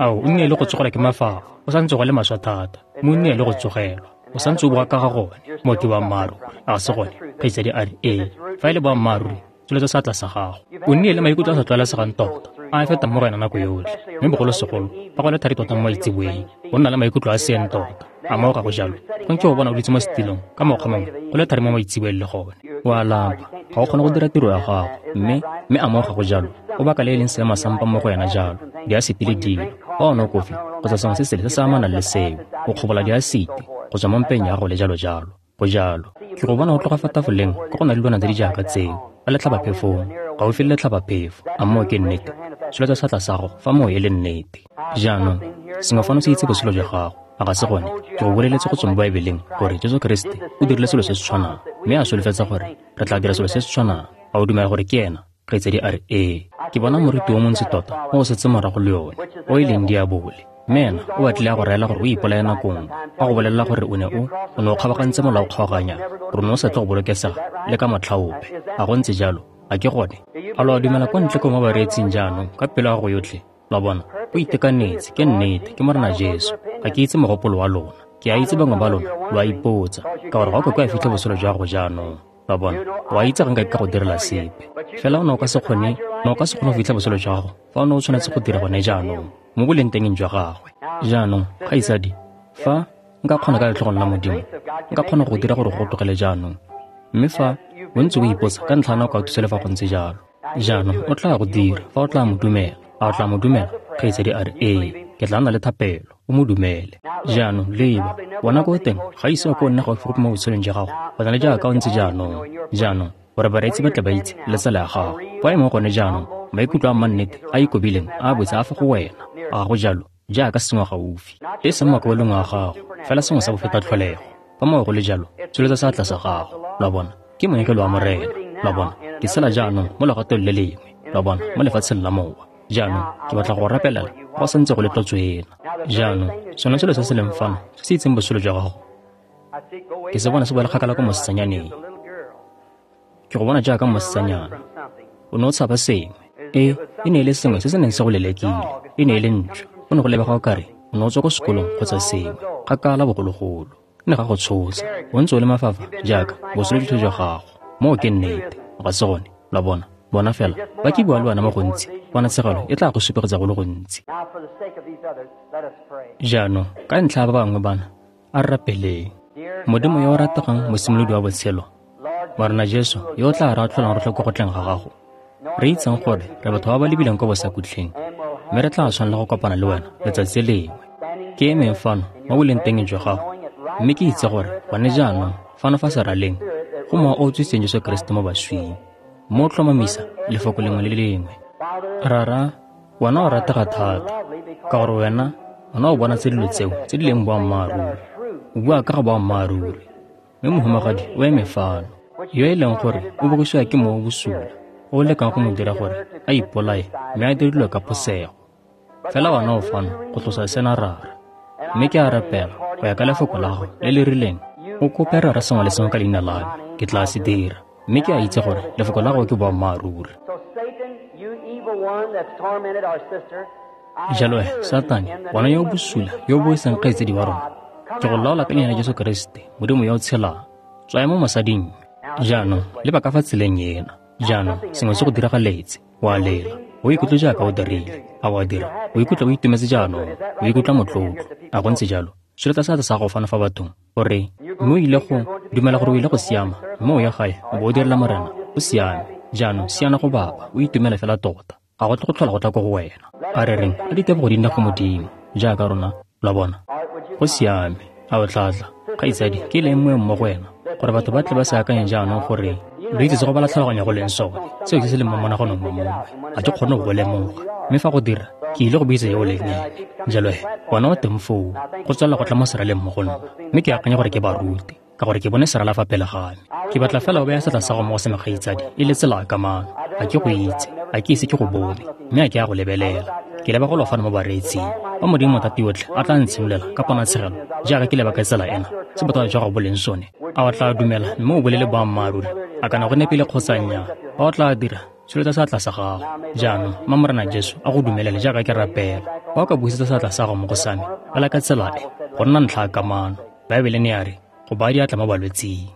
Ao, o nnile le go tsogelwa ke mafafa, o santse go le maswe thata, mme o nnile le go tsogelwa. O santse o bua ka ga gone, moo ke boammaaruri, a ga se gone? Kgaitsadi a re, ee, fa e le boammaaruri, tsholetsa seatla sa gago. O nnile le maikutlo a sa tlwaelesegang tota, a a fetang mo go wena nako yotlhe, mme bogolosegolo fa go le thari tota mo maitseboeng, o nna le maikutlo a seeng tota. A moo ga go jalo? Go nke go bona o dutse mo setilong ka mokgwa mongwe, go le thari mo maitseboeng le gone. O a lapa, ga o kgone go dira tiro ya gago, mme a moo ga go jalo? O baka le e leng seemo sa mpa mo go wena jalo, diasiti le dilo. Fa o nwa kofi kgotsa sengwe se sele se se amanang le seo, o kgobola diasiti go tswa mo mpeng ya gago le jalo jalo. Go jalo. Ke go bona o tloga fa tafoleng ka go na le dilwana tse di jaaka tseo, ka letlhabaphefong, gaufi le letlhabaphefo. A moo ke nnete? Tsholetsa seatla sa gago fa moo e le nnete. Jaanong, sengwe fano se itse botshelo jwa gago. A ga se gone? Ke go boleletse go tswa mo Baebeleng gore Jesu Keresete o dirile selo se se tshwanang, mme a solofetsa gore re tla dira selo se se tshwanang. A o dumela gore ke ena? Kgaitsadi a re, ee. Ke bona moriti o montsi tota o o setse morago le yone, o e leng diabole. Mme ena o batlile a go raela gore o ipolaye nako nngwe, a go bolelela gore o ne o kgabagantse molao kgaoganya, gore o ne o sa tle go bolokesega le ka motlha ope. A go ntse jalo? A ke gone? A lo a dumela kwa ntle ko mo bareetsing jaanong ka pelo ya gago yotlhe? Lo a bona? O itekanetse, ke nnete, ke Morena Jesu. Ga ke itse mogopolo wa lona. Ke a itse bangwe ba lona lo a ipotsa, ka gore ga o ka kwa fitlha botshelo jwa gago jaanong. Lo a bona? O a itse ga nka ka go direla sepe. Fela o ne o ka se kgone, o ka se kgone go fitlha botshelo jwa gago fa o ne o tshwanetse go dira gone jaanong, mo bolengtengeng jwa gagwe. Jaanong, kgaitsadi, fa nka kgona ka letlhogong la Modimo, nka kgona go dira gore go tlogele jaanong. Mme fa o ntse o ipotsa ka ntlha ya nako a thuse le fa go ntse jalo. Jaanong o tla go dira fa o tla mo dumela. A o tla mo dumela? Kgaitsadi a re, ee, ke tla nna le thapelo. O mo dumele. Jaanong leba, bona ko teng ga ise o ko nne gaufi gope mo botshelong jwa gago, go na le jaaka o ntse jaanong. Jaanong, gore bareetsi ba tle ba itse le tsela ya gago. Fa e mo gone jaanong, maikutlo a mannete a ikobileng a botse a fa go wena. A go jalo, jaaka sengwe gaufi. E seng makwalong a gago, fela sengwe sa bofeta tlholego. Fa moo go le jalo, tsholetsa seatla sa gago. Lo a bona? Ke moengele wa Morena. Lo a bona? Ke sela jaanong mo legatong le lengwe. Lo a bona? Mo lefatsheng la mowa. Jaanong, ke batla go rapelela go santse go le tlotso ena. Jaanong, sone selo se se leng fano, se se itseng botshelo jwa gago, ke se bona se boela kgakala ko mosetsanyaneng. Ke go bona jaaka mosetsanyana. O ne o tshaba sengwe. E ne e le sengwe se se neng se go lelekile. E ne e le ntšhwa. O ne go lebega o kare o ne o tswa ko sekolong kgotsa sengwe, kgakala bogologolo. Ne ga go tshosa. O ntse o le mafafa jaaka botshelo jotlhe jwa gago. Moo ke nnete. Ga se gone? Lo a bona? Bona fela, ba ke bua le wena mo gontsi, ponatshegelo e tla go supegetsa go le gontsi. Jaanong, ka ntlha ya ba bangwe bana, a re rapeleng. Modimo yo o rategang, mosimolodi wa botshelo, Morena Jesu, yo o tla re atlholang rotlhe ko go tleng ga gago, re itseng gore re batho ba ba lebileng ko bosakutlheng, mme re tla tshwanela go kopana le wena letsatsi lengwe. Ke emeng fano mo bolengtengeng jwa gago, mme ke itse gore gone jaanong fano fa seraleng go mowa o o tsositseng Jesu Keresete mo baswing, mo tlhomamisa lefoko lengwe le lengwe. Rara, wena o ratega thata, ka gore wena o bona tse dilo tseo tse di leng boammaaruri. O bua ka ga boammaaruri. Mme mohumagadi o eme fano, yo e leng gore o bogisiwa ke mowa o bosula, o o lekang go mo dira gore a ipolaye mme a dire dilo ka phosego. Fela wena o fano go tlosa sena, Rara. Mme ke a rapela go ya ka lefoko la gago le le rileng, o kope Rara sengwe le sengwe ka leina la me, ke tla se dira. Mme ke a itse gore lefoko la gago ke boammaaruri. Jalo he, Satane, wena yo o bosula, yo o boisang kgaitsedi wa rona, ke go laola ka leina la Jesu Keresete, Modimo yo o tshelang, tswaya mo mosading. Jaanong, leba ka fa tseleng ena. Jaanong, sengwe se go diragaletse. O a lela. O ikutlwe jaaka o dirile. A o a dira? O ikutlwa o itumetse jaanong. O ikutlwa motlotlo. A go ntse jalo? Tsholetsa seatla sa gago fano fa bathong, o re, mme o ile go dumela gore o ile go siama, mme o ya gae o bo o direla Morena. O siame. Jaanong siana go baba, o itumele fela tota. Ga go tle go tlhola go tla ko go wena. A re reng, a ditebogo di nne go Modimo, jaaka rona, lo a bona. Go siame. A o tla tla? Kgaitsadi, ke leng moeng mo go wena, gore batho ba tle ba se akanye jaanong gore lo itse se go bala tlhaloganyo go leng sone, seo ke se leng mo monaganong wa mongwe. Ga ke kgone go go lemoga. Mme fa go dira, ke ile go bitsa yo o leng ene. Jalo he, wena o teng foo, go tswelela go tla mo seraleng mo go nna. Mme ke akanya gore ke ba rute, ka gore ke bone serala fa pele ga me. Ke batla fela o baya seatla sa gago mo go se mekgaitsadi, e le tsela ya kamano. Ga ke go itse, ga ke ise ke go bone, mme ga ke a go lebelela. Ke leba go lo fano mo bareetsing. Fa Modimo Mothatayotlhe a tla ntshimolela ka ponatshegelo, jaaka ke leba ka tsela ena, se bothata jwa gago bo leng sone, a o tla dumela mme o bolele boammaaruri, a kana go nepile kgotsa nnyaa? Fa o tla dira, tsholetsa seatla sa gago. Jaanong, mma Morena Jesu a go dumelele jaaka ke rapela. Fa o ka busetsa seatla sa gago mo go sa me, fela ka tsela e, go nna ntlha ya kamano. Baebele ne ya re, go baya diatla mo balwetsing.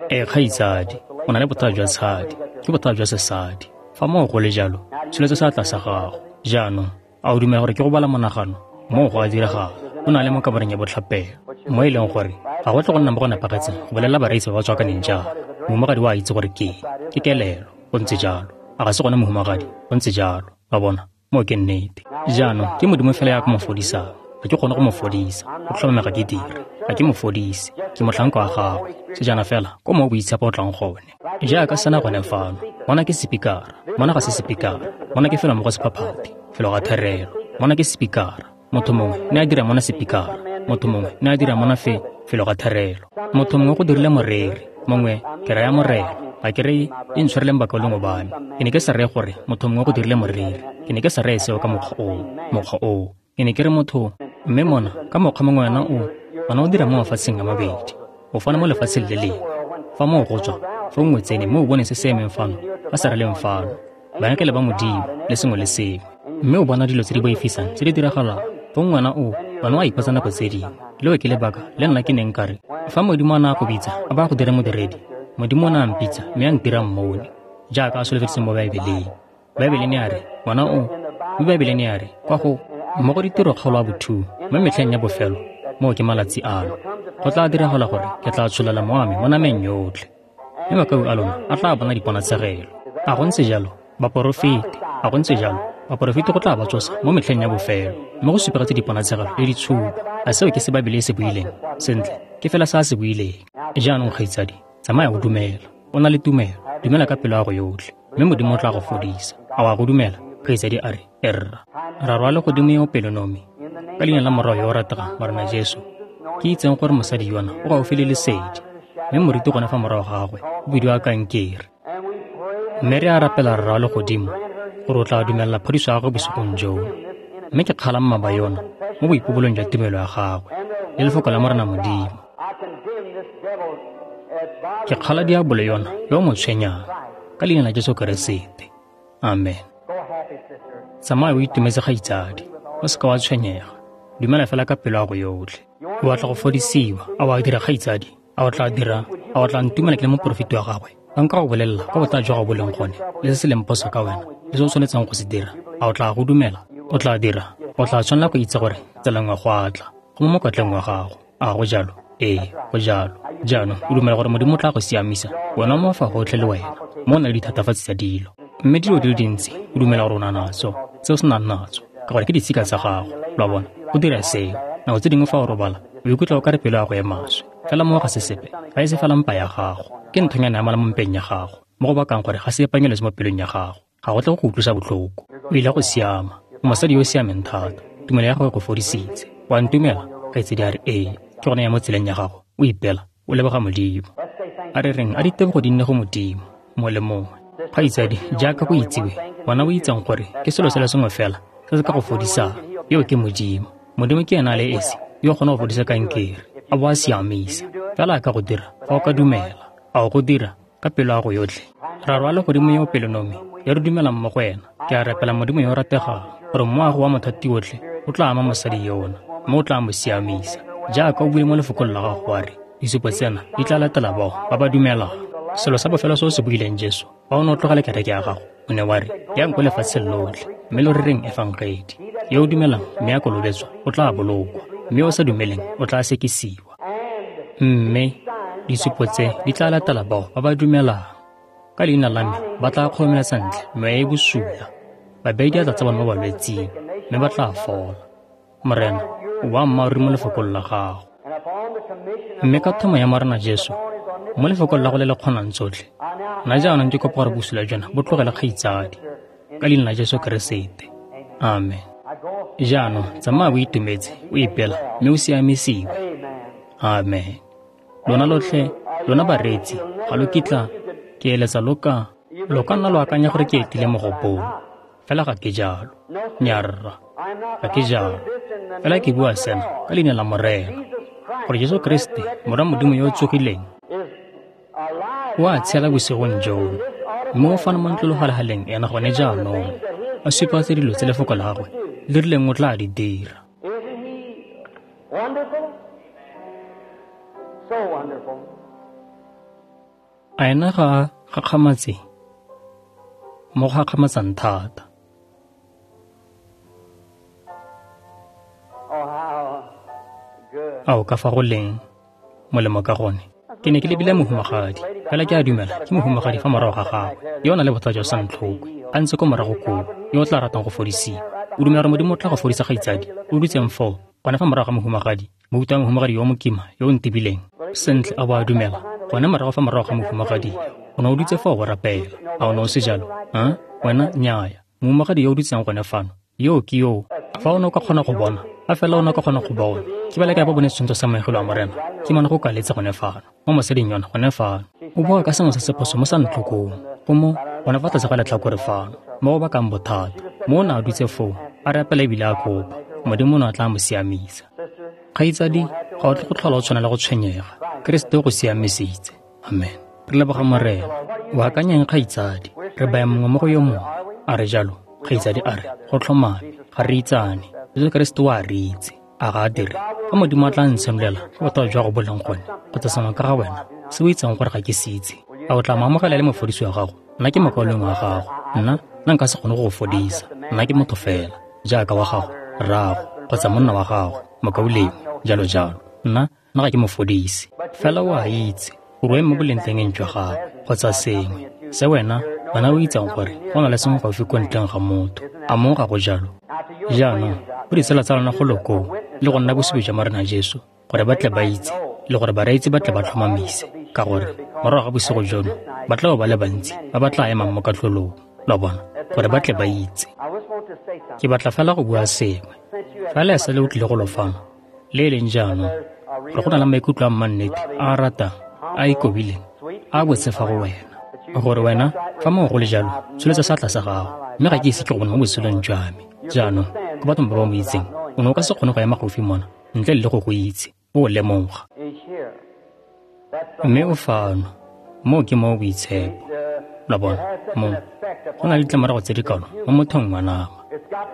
Ee, kgaitsadi, o na le bothata jwa tshadi, ke bothata jwa sesadi. Fa moo go le jalo, tsholetsa seatla sa gago. Jaanong, a o dumela gore ke go bala monagano? Moo go a diragala. O na le mo kamareng ya botlhapelo, mo e leng gore ga go tle go nna mo go nepagetseng go bolelela bareetsi ba ba tswakaneng jaana. Mohumagadi o a itse gore ke ke kelelo. Go ntse jalo. A ga se gone, mohumagadi? Go ntse jalo. Wa bona? Moo ke nnete. Jaanong, ke Modimo fela ya ka mo fodisang. Ga ke kgone go mo fodisa. Go tlhomame ga ke dire. Ga ke mo fodise. Ke motlhanka wa gagwe. Sejana fela, ko mo o boitshepo o tlang gone. Jaaka sena gone fano. Mona ke sepikara. Mona ga se sepikara. Mona ke felo mo go sephaphathi, felo ga therelo. Mona ke sepikara. Motho mongwe ne a dira mona sepikara. Motho mongwe ne a dira mona felo ga therelo. Motho mongwe go dirile moreri. Mongwe ke raya morero. Ga ke re e ntshwareleng bakaulengwe ba me. Ke ne ke sa reye gore motho mongwe go dirile moreri. Ke ne ke sa reye seo ka mokgwa oo. Ke ne ke re motho, mme mona ka mokgwa mongwe wena o dira mo mafatsheng a mabedi. O fana mo lefatsheng le lengwe. Fa moo go tswa, fa nngwe tsene mme o bone se se emeng fano, ba sa releng fano. Baengele ba Modimo le sengwe le sengwe. Mme o bona dilo tse di boifisang tse di diragalang. Fa ngwana o, wena o a ipotsa nako tse dingwe. Leo ke lebaka le nna ke neng ka re, fa Modimo a ne a go bitsa, a ba go dire modiredi, Modimo o ne a mpitsa mme a ntira mmone, jaaka a solofeditse mo Baebeleng. Baebele ne a re, ngwana o, mme Baebele ne a re, kwa go mmogo ditiro kgaolo a bothuo, mo metlheng ya bofelo, moo ke malatsi ano. Go tla diragala gore ke tla tsholela mowa me mo nameng yotlhe. Mme makau a lona a tla bona diponatshegelo. A go ntse jalo, baporofeti, a go ntse jalo, baporofeti go tla ba tsosa mo metlheng ya bofelo, mme go supegetse diponatshegelo le ditshupo. A seo ke se Baebele e se buileng? Sentle, ke fela se a se buileng. Jaanong kgaitsadi, tsamaya o dumela. O na le tumelo, dumela ka pelo ya go yotlhe, mme Modimo o tla go fodisa. A wa go dumela? Kgaitsadi a re, erra. Ra rwala godimo yo pelonomi, ka leina la Morwa yo o rategang, Morena Jesu. Ke itseng gore mosadi yona o gaufi le lesedi, mme moriti gone fa morago ga gagwe o bidiwa kankere. Mme re a rapela Rra wa legodimo gore o tla dumelela phodiso ya gagwe bosigong jono. Mme ke kgala mmaba yona mo boipobolong jwa tumelo ya gagwe le lefoko la Morena Modimo. Ke kgala diabolo yona yo o mo tshwenyang ka leina la Jesu Keresete. Amen. Tsamaya o itumetse kgaitsadi, o seka wa tshwenyega. Dumela fela ka pelo ya go yotlhe. O batla go fodisiwa, a wa dira kgaitsadi? A o tla dira? A o tla ntumela ke le moporofeti wa gagwe? Fa nka go bolelela kwa bothata jwa gago bo leng gone, le se se leng phoso ka wena, le se o tshwanetseng go se dira, a o tla go dumela? O tla dira. O tla tshwanela go itse gore tsela nngwe go a tla, go mo mokotleng wa gago. A go jalo? Ee, go jalo. Jaanong o dumela gore Modimo o tla go siamisa, wena o mo fa gotlhe le wena, mo o na le dithatafatsi tsa dilo. Mme dilo di le dintsi o dumela gore o na natso, tse o senang natso, ka gore ke ditshika tsa gago. Lo a bona? Go dira seo. Nako tse dingwe fa o robala, o ikutlwa o ka re pelo ya go e maswe. Fela mo ga se sepe, ga e se fela mpa ya gago. Ke nthonyana ya mala mo mpeng ya gago, mo go bakang gore ga se epanyeletse mo pelong ya gago. Ga go tle go go utlwisa botlhoko. O ile go siama. O mosadi yo o siameng thata. Tumelo ya gago e go fodisitse. Wa ntumela? Kgaitsedi a re, ee. Ke gone ya mo tseleng ya gago. O ipela, o leboga Modimo. A re reng a ditebogo di nne go Modimo, mongwe le mongwe. Kgaitsadi, jaaka go itsiwe, wena o itseng gore ke selo se le sengwe fela se se ka go fodisang. Eo ke Modimo. Modimo ke ena a le esi yo o kgona go fodisa kankere, a bo a siamisa. Fela a ka go dira fa o ka dumela. A o go dira ka pelo ya go yotlhe? Ra rwala godimo yo pelonomi ya re dumelang mo go ena. Ke a rapela Modimo yo o rategang gore moago wa mothati otlhe o tla ama mosadi yona, mme o tla mo siamisa. Jaaka o buile mo lefokong la gago wa re, disupo tsena di tla latela bao ba ba dumelang. Selo sa bofelo se o se buileng Jesu, fa o ne o tlogela kereke ya gago, o ne wa re, yang ko lefatsheng lotlhe, mme lo rereng efangedi. Yo o dumelang mme a kolobetswa o tla bolokwa, mme yo o sa dumeleng o tla sekisiwa. Mme disupo tse di tla latela bao ba ba dumelang. Ka leina la me ba tla kgoromeletsa ntle meya e bosula, ba beye diatla tsa bone mo balwetsing, mme ba tla fola. Morena, o boammaaruri mo lefokong la gago. Mme ka thomo ya Morena Jesu, mo lefokong la go le le kgonang tsotlhe, nna jaanong ke kopa gore bosula jona bo tlogele kgaitsadi, ka leina la Jesu Keresete. Amen. Jaanong tsamaya o itumetse, o ipela, mme o siamisiwe. Amen. Lona lotlhe, lona bareetsi, ga lo kitla ke eletsa lo ka nna lo akanya gore ke etile mogopolo. Fela ga ke jalo. Nnyaa, ga ke jalo. Fela ke bua sena ka leina la Morena, gore Jesu Kriste, Morwa Modimo yo o tsogileng, o a tshela bosigong jono, mme o fano mo ntlologalegaleng ena gone jaanong, a supa tse dilo tse lefoko la gagwe le rileng o tla di dira. A ena ga a gakgamatse? Mo go gakgamatsang thata. A o ka fa go leng molemo ka gone? Ke ne ke lebile mohumagadi, fela ke a dumela ke mohumagadi fa morago ga gagwe, yo o nang le bothata jwa santlhokwe, a ntse ko morago koo, yo o tla ratang go fodisiwa. O dumela gore Modimo o tla go fodisa kgaitsadi? O dutseng foo, gone fa morago ga mohumagadi, mouta wa mohumagadi yo mokima yo o ntebileng. Sentle, a bo a dumela, gone morago fa morago ga mohumagadi, o ne o dutse foo go rapela. A o ne o se jalo? Ha? Wena, nnyaya. Mohumagadi yo o dutseng gone fano, yo ke yo. Fa o ne o ka kgona go bona, Fa fela o ne o ka kgona go bona, ke ba le kae ba bone setshwantsho sa moengele wa Morena? Ke mona go kaletse gone fano, mo mosading yona gone fano. O bua ka sengwe se se phoso mo sa ntlhokong, go mo gone fa tlase ga letlhakore fano, mo go bakang bothata. Mo o ne a dutse foo, a rapela ebile a kopa. Modimo o ne a tla mo siamisa. Kgaitsadi, ga o tle go tlhola o tshwanela go tshwenyega. Keresete o go siamisitse. Amen. Re leboga Morena. O akanyang kgaitsadi, re baya mongwe mo go yo mongwe. A re jalo, kgaitsadi a re, go tlhomame, ga re itsane. Jesu Keresete o a re itse. A ga a dire? Fa Modimo a tla ntshenolela fa bothata jwa go bo leng gone, kgotsa sengwe ka ga wena, se o itseng gore ga ke se itse, a o tla mo amogela e le mofodisi wa gago? Nna ke mokaulengwe wa gago. Nna, nna nka se kgone go go fodisa. Nna ke motho fela, jaaka wa gago, rraago, kgotsa monna wa gago, mokaulengwe, jalo jalo. Nna, nna ga ke mofodisi. Fela o a itse gore o eme mo bolengtengeng jwa gagwe, kgotsa sengwe, se wena, wena o itseng gore go na le sengwe gaufi ko ntleng ga motho. A moo ga go jalo? Jaanong, go ditsala tsa lona golo koo, le go nna bosupi jwa Morena Jesu, gore ba tle ba itse, le gore bareetsi ba tle ba tlhomamise, ka gore morago ga bosigo jono ba tla bo ba le bantsi ba ba tla emang mo katlholong, lo bona, gore ba tle ba itse. Ke batla fela go bua sengwe. Fa le sa le o tlile go lo fano, le e leng jaanong, gore go na le maikutlo a mmannete, a a ratang, a a ikobileng, a a botse fa go wena. Gore wena, fa mongwe go le jalo, tsholetsa seatla sa gago, mme ga ke ise ke go bone mo botshelong jwa me. Jaanong, ko bathong ba ba mo itseng, o ne o ka se kgone go ema gaufi mona, ntle le go go itse, o lemoga. Mme o fano, moo ke mo boitshepo. Lo bona, mo, go na le ditlamorago tse di kalo mo mothong wa nama.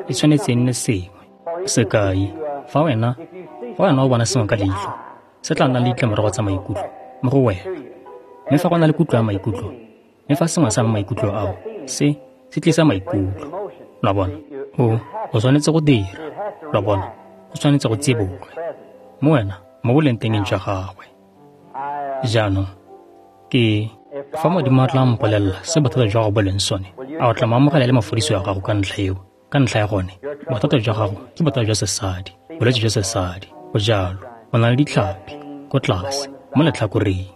E tshwanetse e nne sengwe. Sekai, fa wena, fa wena o bona sengwe ka leitlho, se tla nna le ditlamorago tsa maikutlo mo go wena. Mme fa go na le kutlo ya maikutlo, mme fa sengwe sa maikutlo ao, se, se tlisa maikutlo. Lo bona, o, o tshwanetse go dira. Lo bona, o tshwanetse go tsiboge. Mo wena, mo bolengtengeng jwa gagwe. Jaanong, ke, fa Modimo a tla mpolelela se bothata jwa gago bo leng sone, a o tla mo amogela le mofodisi wa gago ka ntlha eo? Ka ntlha ya gone, bothata jwa gago ke bothata jwa sesadi, bolwetse jwa sesadi. Go jalo, o na le ditlhapi, ko tlase, mo letlhakoreng.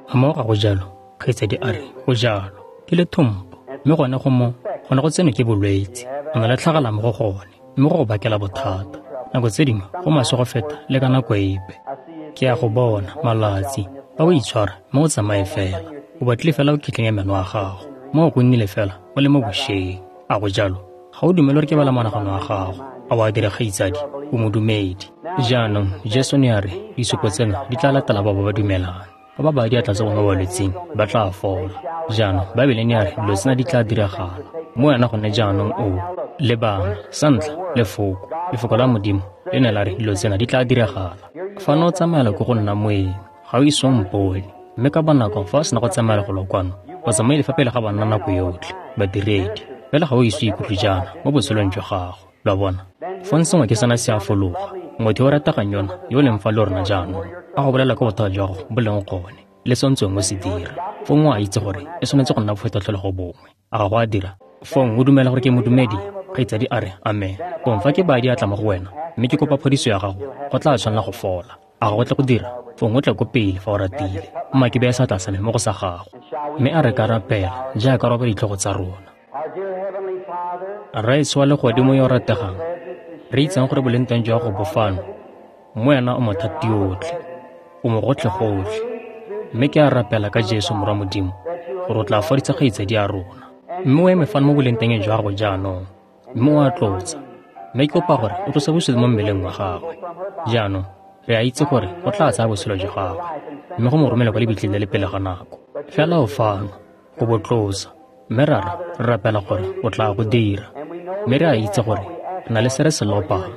A moo ga go jalo? Kgaitsadi a re, go jalo. Ke lethompo, mme gone go mo, gone go tsenwe ke bolwetse. O na le tlhagala mo go gone, mme go go bakela bothata. Nako tse dingwe go maswe go feta le ka nako epe. Ke a go bona, malatsi, fa o itshwara, mme o tsamaye fela. O batlile fela o khitlhenya meno a gago. Moo go nnile fela, o le mo bošeng. A go jalo? Ga o dumele gore ke bala monagano wa gago. A o a dira, kgaitsadi? O modumedi. Jaanong, Jesu ne a re, disupo tsena di tla latela bao ba ba dumelang. Ba ba baya diatla tsa bone mo balwetsing, ba tla fola. Jaanong, Baebele ne ya re dilo tsena di tla diragala. Mo wena gone jaanong o lebang, sa ntlha, Lefoko, Lefoko la Modimo le ne la re dilo tsena di tla diragala. Fa ne o tsamaela ko go nna moeng, ga o ise o mpone. Mme ka bonako fa o sena go tsamaela golo kwano, o tsamaile fa pele ga banna nako yotlhe, badiredi. Fela ga o ise o ikutlwe jaana mo botshelong jwa gago. Lo a bona? Fong sengwe ke sena se a fologa. Motho yo o rategang yona, yo o leng fa le rona jaanong, a go bolela ka bothata jwa gago bo leng gone, le se o ntseng o se dira. Fong o a itse gore e tshwanetse go nna bofetotlholego bongwe. A ga go a dira? Fong o dumela gore ke modumedi? Kgaitsadi a re, Amen. Fong fa ke baya diatla mo go wena, mme ke kopa phodiso ya gago, go tla tshwanela go fola. A ga go tle go dira? Fong o tle ko pele fa o ratile. Mma ke beye seatla sa me mo go sa gago. Mme a re ka rapela, jaaka re oba ditlhogo tsa rona. Rraetsho wa Legodimo yo o rategang, re itseng gore boleng teng jwa go bo fano, mo wena o mothati yotlhe, o mogotlhe-gotlhe. Mme ke a rapela ka Jesu Morwa Modimo, gore o tla fodisa kgaitsadi ya rona. Mme o eme fano mo boleng teng jwa gago jaanong, mme o a tlotsa. Mme ke kopa gore o tlose bosula mo mmeleng wa gagwe. Jaanong, re a itse gore go tla tsaya botshelo jwa gagwe, mme go mo romela kwa lebitleng le le pele ga nako. Fela o fano, go bo tlosa. Mme Rara, re rapela gore o tla go dira. Mme re a itse gore re na le se re se lopang,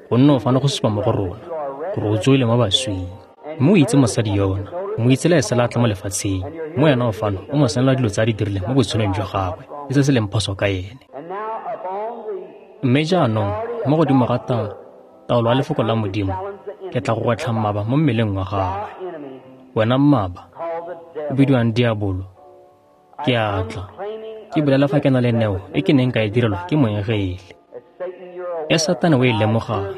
gonne o fano go supa mo go rona gore o tswile mo baswing. Mme o itse mosadi yona, o mo itse le esela a tla mo lefatsheng. Mme wena o fano o mo senola dilo tse a di dirileng mo botshelong jwa gagwe le se se leng phoso ka ene. Mme jaanong, mo godimo ga taolo ya Lefoko la Modimo, ke tla go gwetlha mmaba mo mmeleng wa gagwe. Wena mmaba, o bidiwang diabolo, ke a tla, ke bolela fa ke na le neo e ke neng ka e direlwa ke moengele. E Satane o e lemogang,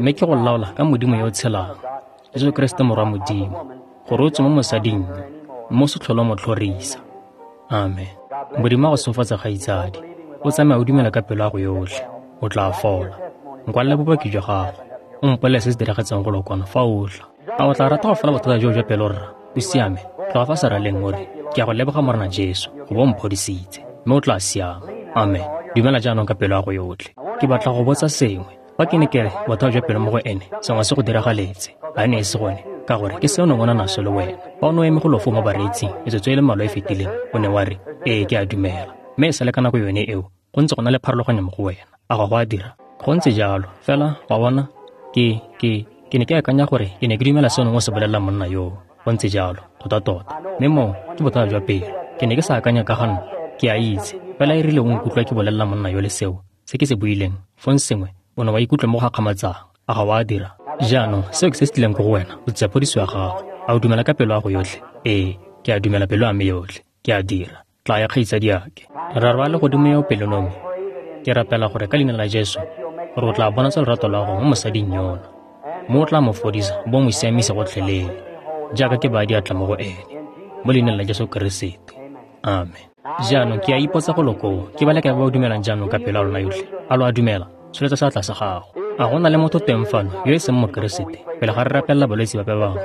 mme ke go laola ka Modimo yo o tshelang, Jesu Keresete Morwa Modimo, gore o tswe mo mosading yo, mme o se tlhole o mo tlhorisa. Amen. Modimo a go segofatse, kgaitsadi. O tsamaya o dumela ka pelo ya go yotlhe, o tla fola. Nkwalele bopaki jwa gago. O mpolele se se diragetseng go kwano fa o tla. A o tla rata go fola bothata joo jwa pelo, rra? O siame? Tloga fa seraleng o re, ke a go leboga Morena Jesu, go bo mphodisitse, mme o tla siama. Amen. Dumela jaanong ka pelo ya go yotlhe. Ke batla go botsa sengwe. Fa ke ne ke re bothata jwa pelo mo go ene, sengwe se go diragaletse, a ne e se gone, ka gore ke seo nongwe naso le wena. Fa o ne o eme go lofo mo bareetsing metsotso e le mmalwa e fetileng, o ne wa re, ee, ke a dumela. Mme e sale ka nako yone eo, go ntse go na le pharologanyo mo go wena. A go a dira? Go ntse jalo. Fela, wa bona, ke ne ke akanya gore ke ne ke dumela seo nongwe se bolelela monna yoo. Go ntse jalo, tota-tota. Mme moo ke bothata jwa pelo. Ke ne ke sa akanya ka ga nna, ke a itse. Fela e rile o nkutlwa ke bolelela monna yo le seo, se ke se buileng, fong sengwe, o ne wa ikutlwa mo go gakgamatsang. A ga wa dira? Jaanong, seo ke se se tlileng ko go wena, o tsaya phodiso ya gago. A o dumela ka pelo ya go yotlhe? Ee, ke a dumela pelo ya me yotlhe. Ke a dira. Tla ya kgaitsadiake. Rara wa legodimo yo pelonomi, ke rapela gore ka leina la Jesu, gore o tla bonatsa lorato lwa gago mo mosading yona. Mo o tla mo fodisa, bo mo siamisa gotlhelele, jaaka ke baya diatla mo go ene. Mo leineng la Jesu Keresete. Amen. Jaanong ke a ipotsa go lokoo, ke ba le kae ba ba dumelang jaanong ka pelo ya lona yotlhe? A lo a dumela? Tsholetsa seatla sa gago. A go na le motho teng fano yo e seng Mokeresete, pele ga re rapelela balwetse bape bangwe,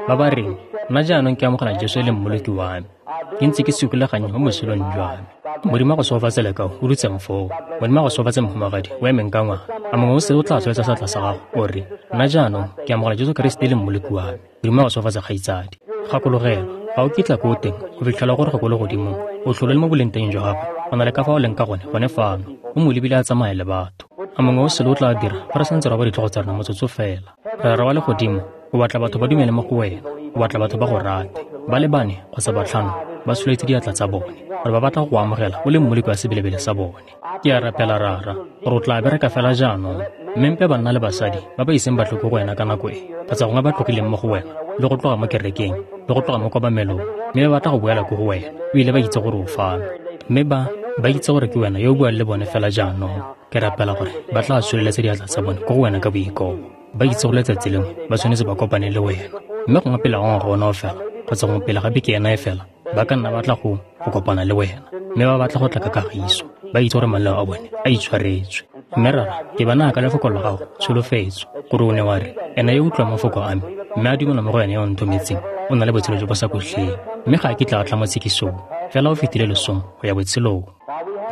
ba ba reng, nna jaanong ke amogela Jesu e le mmoloki wa me, ke ntse ke segoleganye mo botshelong jwa me. Modimo a go segofatse lekau, o dutseng foo. Modimo a go segofatse mohumagadi, o emeng ka ngwana. A mongwe o sele o tla tsholetsa seatla sa gago, o re, nna jaanong ke amogela Jesu Keresete e le mmoloki wa me. Modimo a go segofatse kgaitsadi. Gakologelwa, ga o kitla ko teng go fitlhela gore go ko legodimong, o tlhole le mo boleng jwa gagwe, go na le ka fa o leng ka gone, gone fano, o mo lebile a tsamaya le batho. A mongwe o sele o tla dira fa re santse re ba ditlhogo tsa rona motsotso fela. Rara wa legodimo, o batla batho ba dumele mo go wena, o batla batho ba go rate. Ba le bane kgotsa batlhano ba tsholetse diatla tsa bone, gore ba batla go go amogela o le mmoloki wa sebelebele sa bone. Ke a rapela Rara, gore o tla bereka fela jaanong, mme mpe banna le basadi ba ba iseng ba tle ko go wena ka nako e, kgotsa gongwe ba tlogileng mo go wena, le go tloga mo kerekeng, le go tloga mo kobamelong, mme ba batla go boela ko go wena, o ile ba itse gore o fano. Mme ba itse gore ke wena yo o buang le bone fela jaanong. Ke rapela gore ba tla tsholeletsa diatla tsa bone ko go wena ka boikobo. Ba itse gore letsatsi lengwe ba tshwanetse ba kopane le wena. Mme gongwe pele ga ngwaga ona o fela, kgotsa gongwe pele ga beke ena e fela, ba ka nna batla go kopana le wena. Mme ba batla go tla ka kagiso, ba itse gore maleo a bone a itshwaretswe. Mme Rara, ke ba naya ka lefoko la gago tsholofetso, gore o ne wa re, ena yo utlwang mafoko a me, mme a dumela mo go ene yo o nthometseng, o na le botshelo jo bo sa khutleng, mme ga a kitla a tla mo tshekisong, fela o fetile losong go ya botshelong.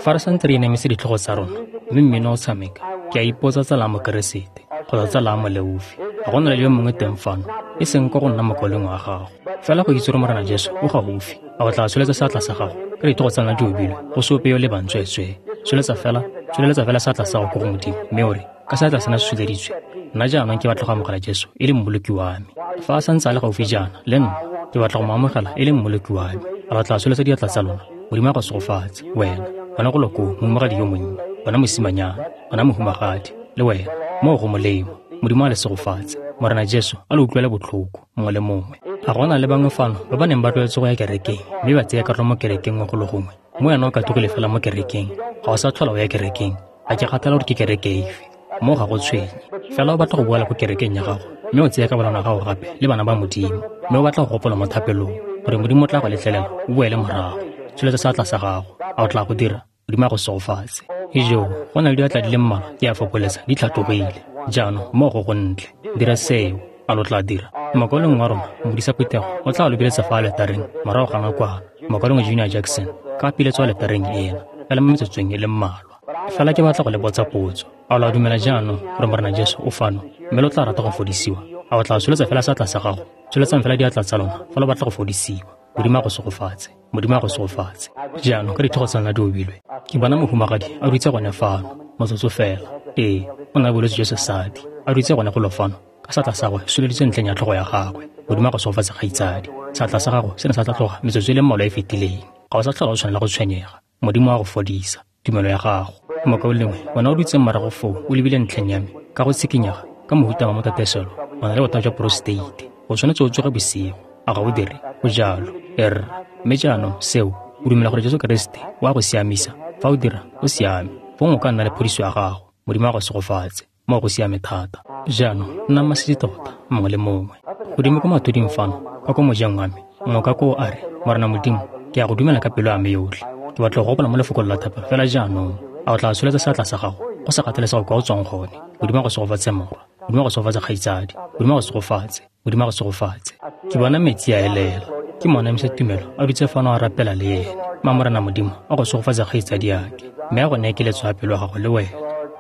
Fa re santse re inamise ditlhogo tsa rona, mme mmino o tshameka, ke a ipotsa tsala ya Mokeresete kgotsa tsala ya moleofi, ga go na le yo mongwe teng fano, e seng ko go nna mokaulengwe wa gago, fela go itse gore Morena Jesu o gaufi. A o tla tsholetsa seatla sa gago ka ditlhogo tsa lona di obilwe, go se ope yo lebang tsweetswee. Tsholetsa fela seatla sa gago ko go Modimo, mme o re, ka seatla sena se tsholeditswe, nna jaanong ke batla go amogela Jesu e le mmoloki wa me. Fa a santse a le gaufi jaana le nna, ke batla go mo amogela e le mmoloki wa me. A lo tla tsholetsa diatla tsa lona? Modimo a go segofatse, wena, wena go lokoo, mohumagadi yo monnye, wena mosimanyana, wena mohumagadi, le wena, moo go molemo. Modimo a le segofatse. Morena Jesu a le utlwele botlhoko, mongwe le mongwe. A go na le bangwe fano ba ba neng ba tlwaetse go ya kerekeng, mme ba tsaya karolo mo kerekeng nngwe go le gongwe, mo wena o katogile fela mo kerekeng, ga o sa tlhola o ya kerekeng, ga ke kgathala gore ke kereke efe, mo ga go tshwenye. Fela o batla go boela ko kerekeng ya gago, mme o tseye kabelano ya gago gape le bana ba Modimo, mme o batla go gopola mo thapelong, gore Modimo o tla go letlelela o boele morago. Tsholetsa seatla sa gago. A o tla go dira? Modimo a go segofatse. Ijoo, go na le diatla di le mmalwa ke a fokoletsa, di tlhatlogile. Jaanong moo go gontle. Dira seo. A lo tla dira? Mokaulengwe wa rona, modisa phuthego, o tla lo biletsa fa aletareng morago ga nakwana. Mokaulengwe Junior Jackson ka piletswa aletareng ena, fela mo metsotsong e le mmalwa. Fela ke batla go le botsa potso. A lo a dumela jaanong gore Morena Jesu o fano, mme lo tla rata go fodisiwa? A o tla tsholetsa fela seatla sa gago? Tsholetsang fela diatla tsa lona fa lo batla go fodisiwa. Modimo a go segofatse. Modimo a go segofatse. Jaanong ka ditlhogo tsa lona di obilwe, ke bona mohumagadi a dutse gone fano, motsotso fela. Ee, o na le bolwetse jwa sesadi, a dutse gone golo fano, ka seatla sa gagwe se tsholeditswe ntlheng ya tlhogo ya gagwe. Modimo a go segofatse kgaitsadi. Seatla sa gago se ne sa tla tloga metsotso e le mmalwa e fetileng. Ga o sa tlhola o tshwanela go tshwenyega. Modimo a go fodisa tumelo ya gago. Mokaulengwe, wena o dutseng morago foo o lebile ntlheng ya me ka go tshikinyega ka mohuta wa motateselo, o na le bothata jwa prostate. O tshwanetse o tsoge bosigo. A ga o dire? Go jalo. Erra. Mme jaanong seo, o dumela gore Jesu Keresete o a go siamisa? Fa o dira, o siame. Fong o ka nna le phodiso ya gago. Modimo a go segofatse. Moo go siame thata. Jaanong nna masisi tota, mongwe le mongwe. Godimo ko mathuding fano, ka ko mojeng wa me, mongwe ka koo a re, Morena Modimo, ke a go dumela ka pelo ya me yotlhe. Ke batla go gopola mo lefokong la thapelo fela jaanong. A o tla tsholetsa seatla sa gago, go sa kgathalesege kwa o tswang gone. Modimo a go segofatse morwa. Modimo a go segofatse, kgaitsadi. Modimo a go segofatse. Modimo a go segofatse. Ke bona metsi a elela. Ke moanamisa tumelo a dutse fano a rapela le ene. Ma Morena Modimo a go segofatse, kgaitsadi yake. Mme a go neye keletso ya pelo ya gago le wena.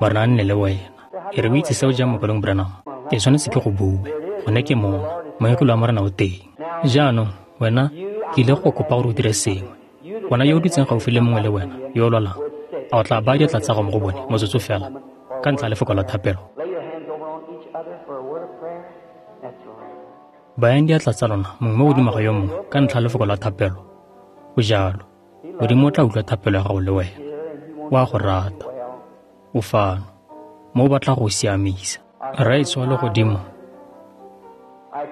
Morena a nne le wena. E re o itse seo jang, mokaleng Branham? Ke tshwanetse ke go bue. Gone ke mona. Moengele wa Morena o teng. Jaanong, wena, ke ile go kopa gore o dire sengwe. Wena yo o dutseng gaufi le mongwe le wena, yo o lwalang, a o tla baya diatla tsa gago mo go bone motsotso fela ka ntlha ya lefoko la thapelo? Lay your hands over on each other for a word of prayer. That's right. Bayang diatla tsa lona mongwe mo godimo ga yo mongwe ka ntlha ya lefoko la thapelo. Go jalo. Modimo o tla utlwa thapelo ya gago le wena. O a go rata. O fano. Mo o batla go o siamisa. Rraetsho wa legodimo,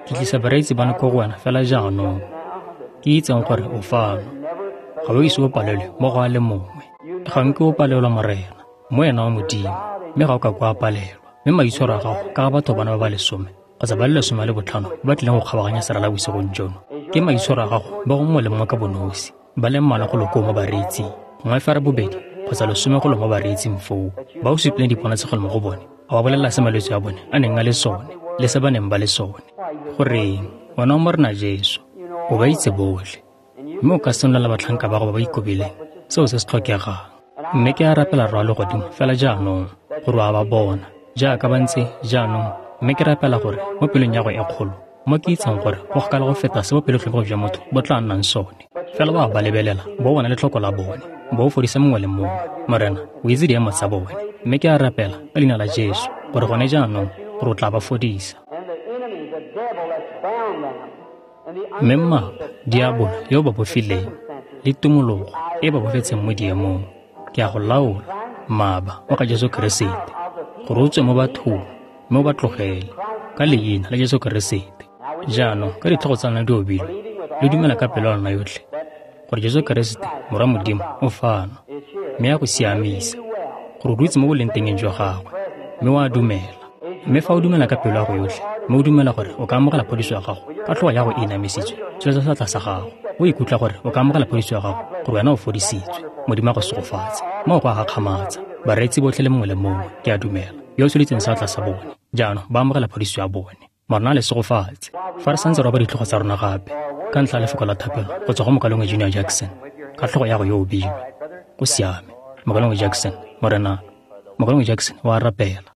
ke tlisa bareetsi bano ko go wena fela jaanong. Ke itseng gore o fano. Ga o ise o palelwe mo go a le mongwe. Ga nke o palelwa, Morena, mo ena wa Modimo, mme ga o ka kwa palelwa. Mme maitshwaro a gago ka ga batho bana ba ba 10 kgotsa ba le 15 ba ba tlileng go kgabaganya serala bosigong jono, ke maitshwaro a gago ba go mongwe le mongwe ka bonosi, ba le mmalwa go lo koo mo bareetsing, gongwe fera bobedi kgotsa 10 go lo mo bareetsing foo, ba o supileng diponatshegelo mo go bone, a ba bolelela se malwetse a bone a neng a le sone le se ba neng ba le sone. Goreng, wena o Morena Jesu, o ba itse botlhe, mme o ka senolela batlhanka ba gago ba ba ikobileng seo se se tlhokegang. Mme ke a rapela Rra wa legodimo fela jaanong gore o a ba bona jaaka ba ntse jaanong, mme ke rapela gore mo pelong ya go e kgolo, mo ke itseng gore go kgakala go feta se bopelotlhomogi jwa motho bo tla nnang sone, fela o a ba lebelela, bo bona letlhoko la bone, bo o fodisa mongwe le mongwe. Morena, o itse diemo tsa bone, mme ke a rapela ka leina la Jesu gore gone jaanong gore o tla ba fodisa. And the enemy, the devil that's bound them, and the Mme mmaba, diabolo yo o ba bofileng, le tumologo e ba bofetseng mo diemong, ke a go laola, mmaba wa ga Jesu Keresete, gore o tswe mo bathong mme o ba tlogele ka leina la Jesu Keresete. Jaanong ka ditlhogo tsa lona di obilwe, le dumela ka pelo ya lona yotlhe gore Jesu Keresete Morwa Modimo o fano mme a go siamisa, gore o dutse mo bolengtengeng jwa gagwe mme o a dumela. Mme fa o dumela ka pelo ya go yotlhe mme o dumela gore o ka amogela phodiso ya gago ka tlhogo ya go e inamisitswe, tsholetsa seatla sa gago. O ikutlwa gore o ka amogela phodiso ya gago, gore wena o fodisitswe. Modimo a go segofatse. Moo go a gakgamatsa. Bareetsi botlhe le mongwe le mongwe, ke a dumela, yo o tsholeditseng seatla sa bone jaanong ba amogela phodiso ya bone. Morena a le segofatse. Fa re santse re oba ditlhogo tsa rona gape ka ntlha ya lefoko la thapelo go tswa go mokalengwe Junior Jackson ka tlhogo ya go yo obilwe. Go siame. Mokalengwe Jackson, Morena, mokalengwe Jackson o a rapela.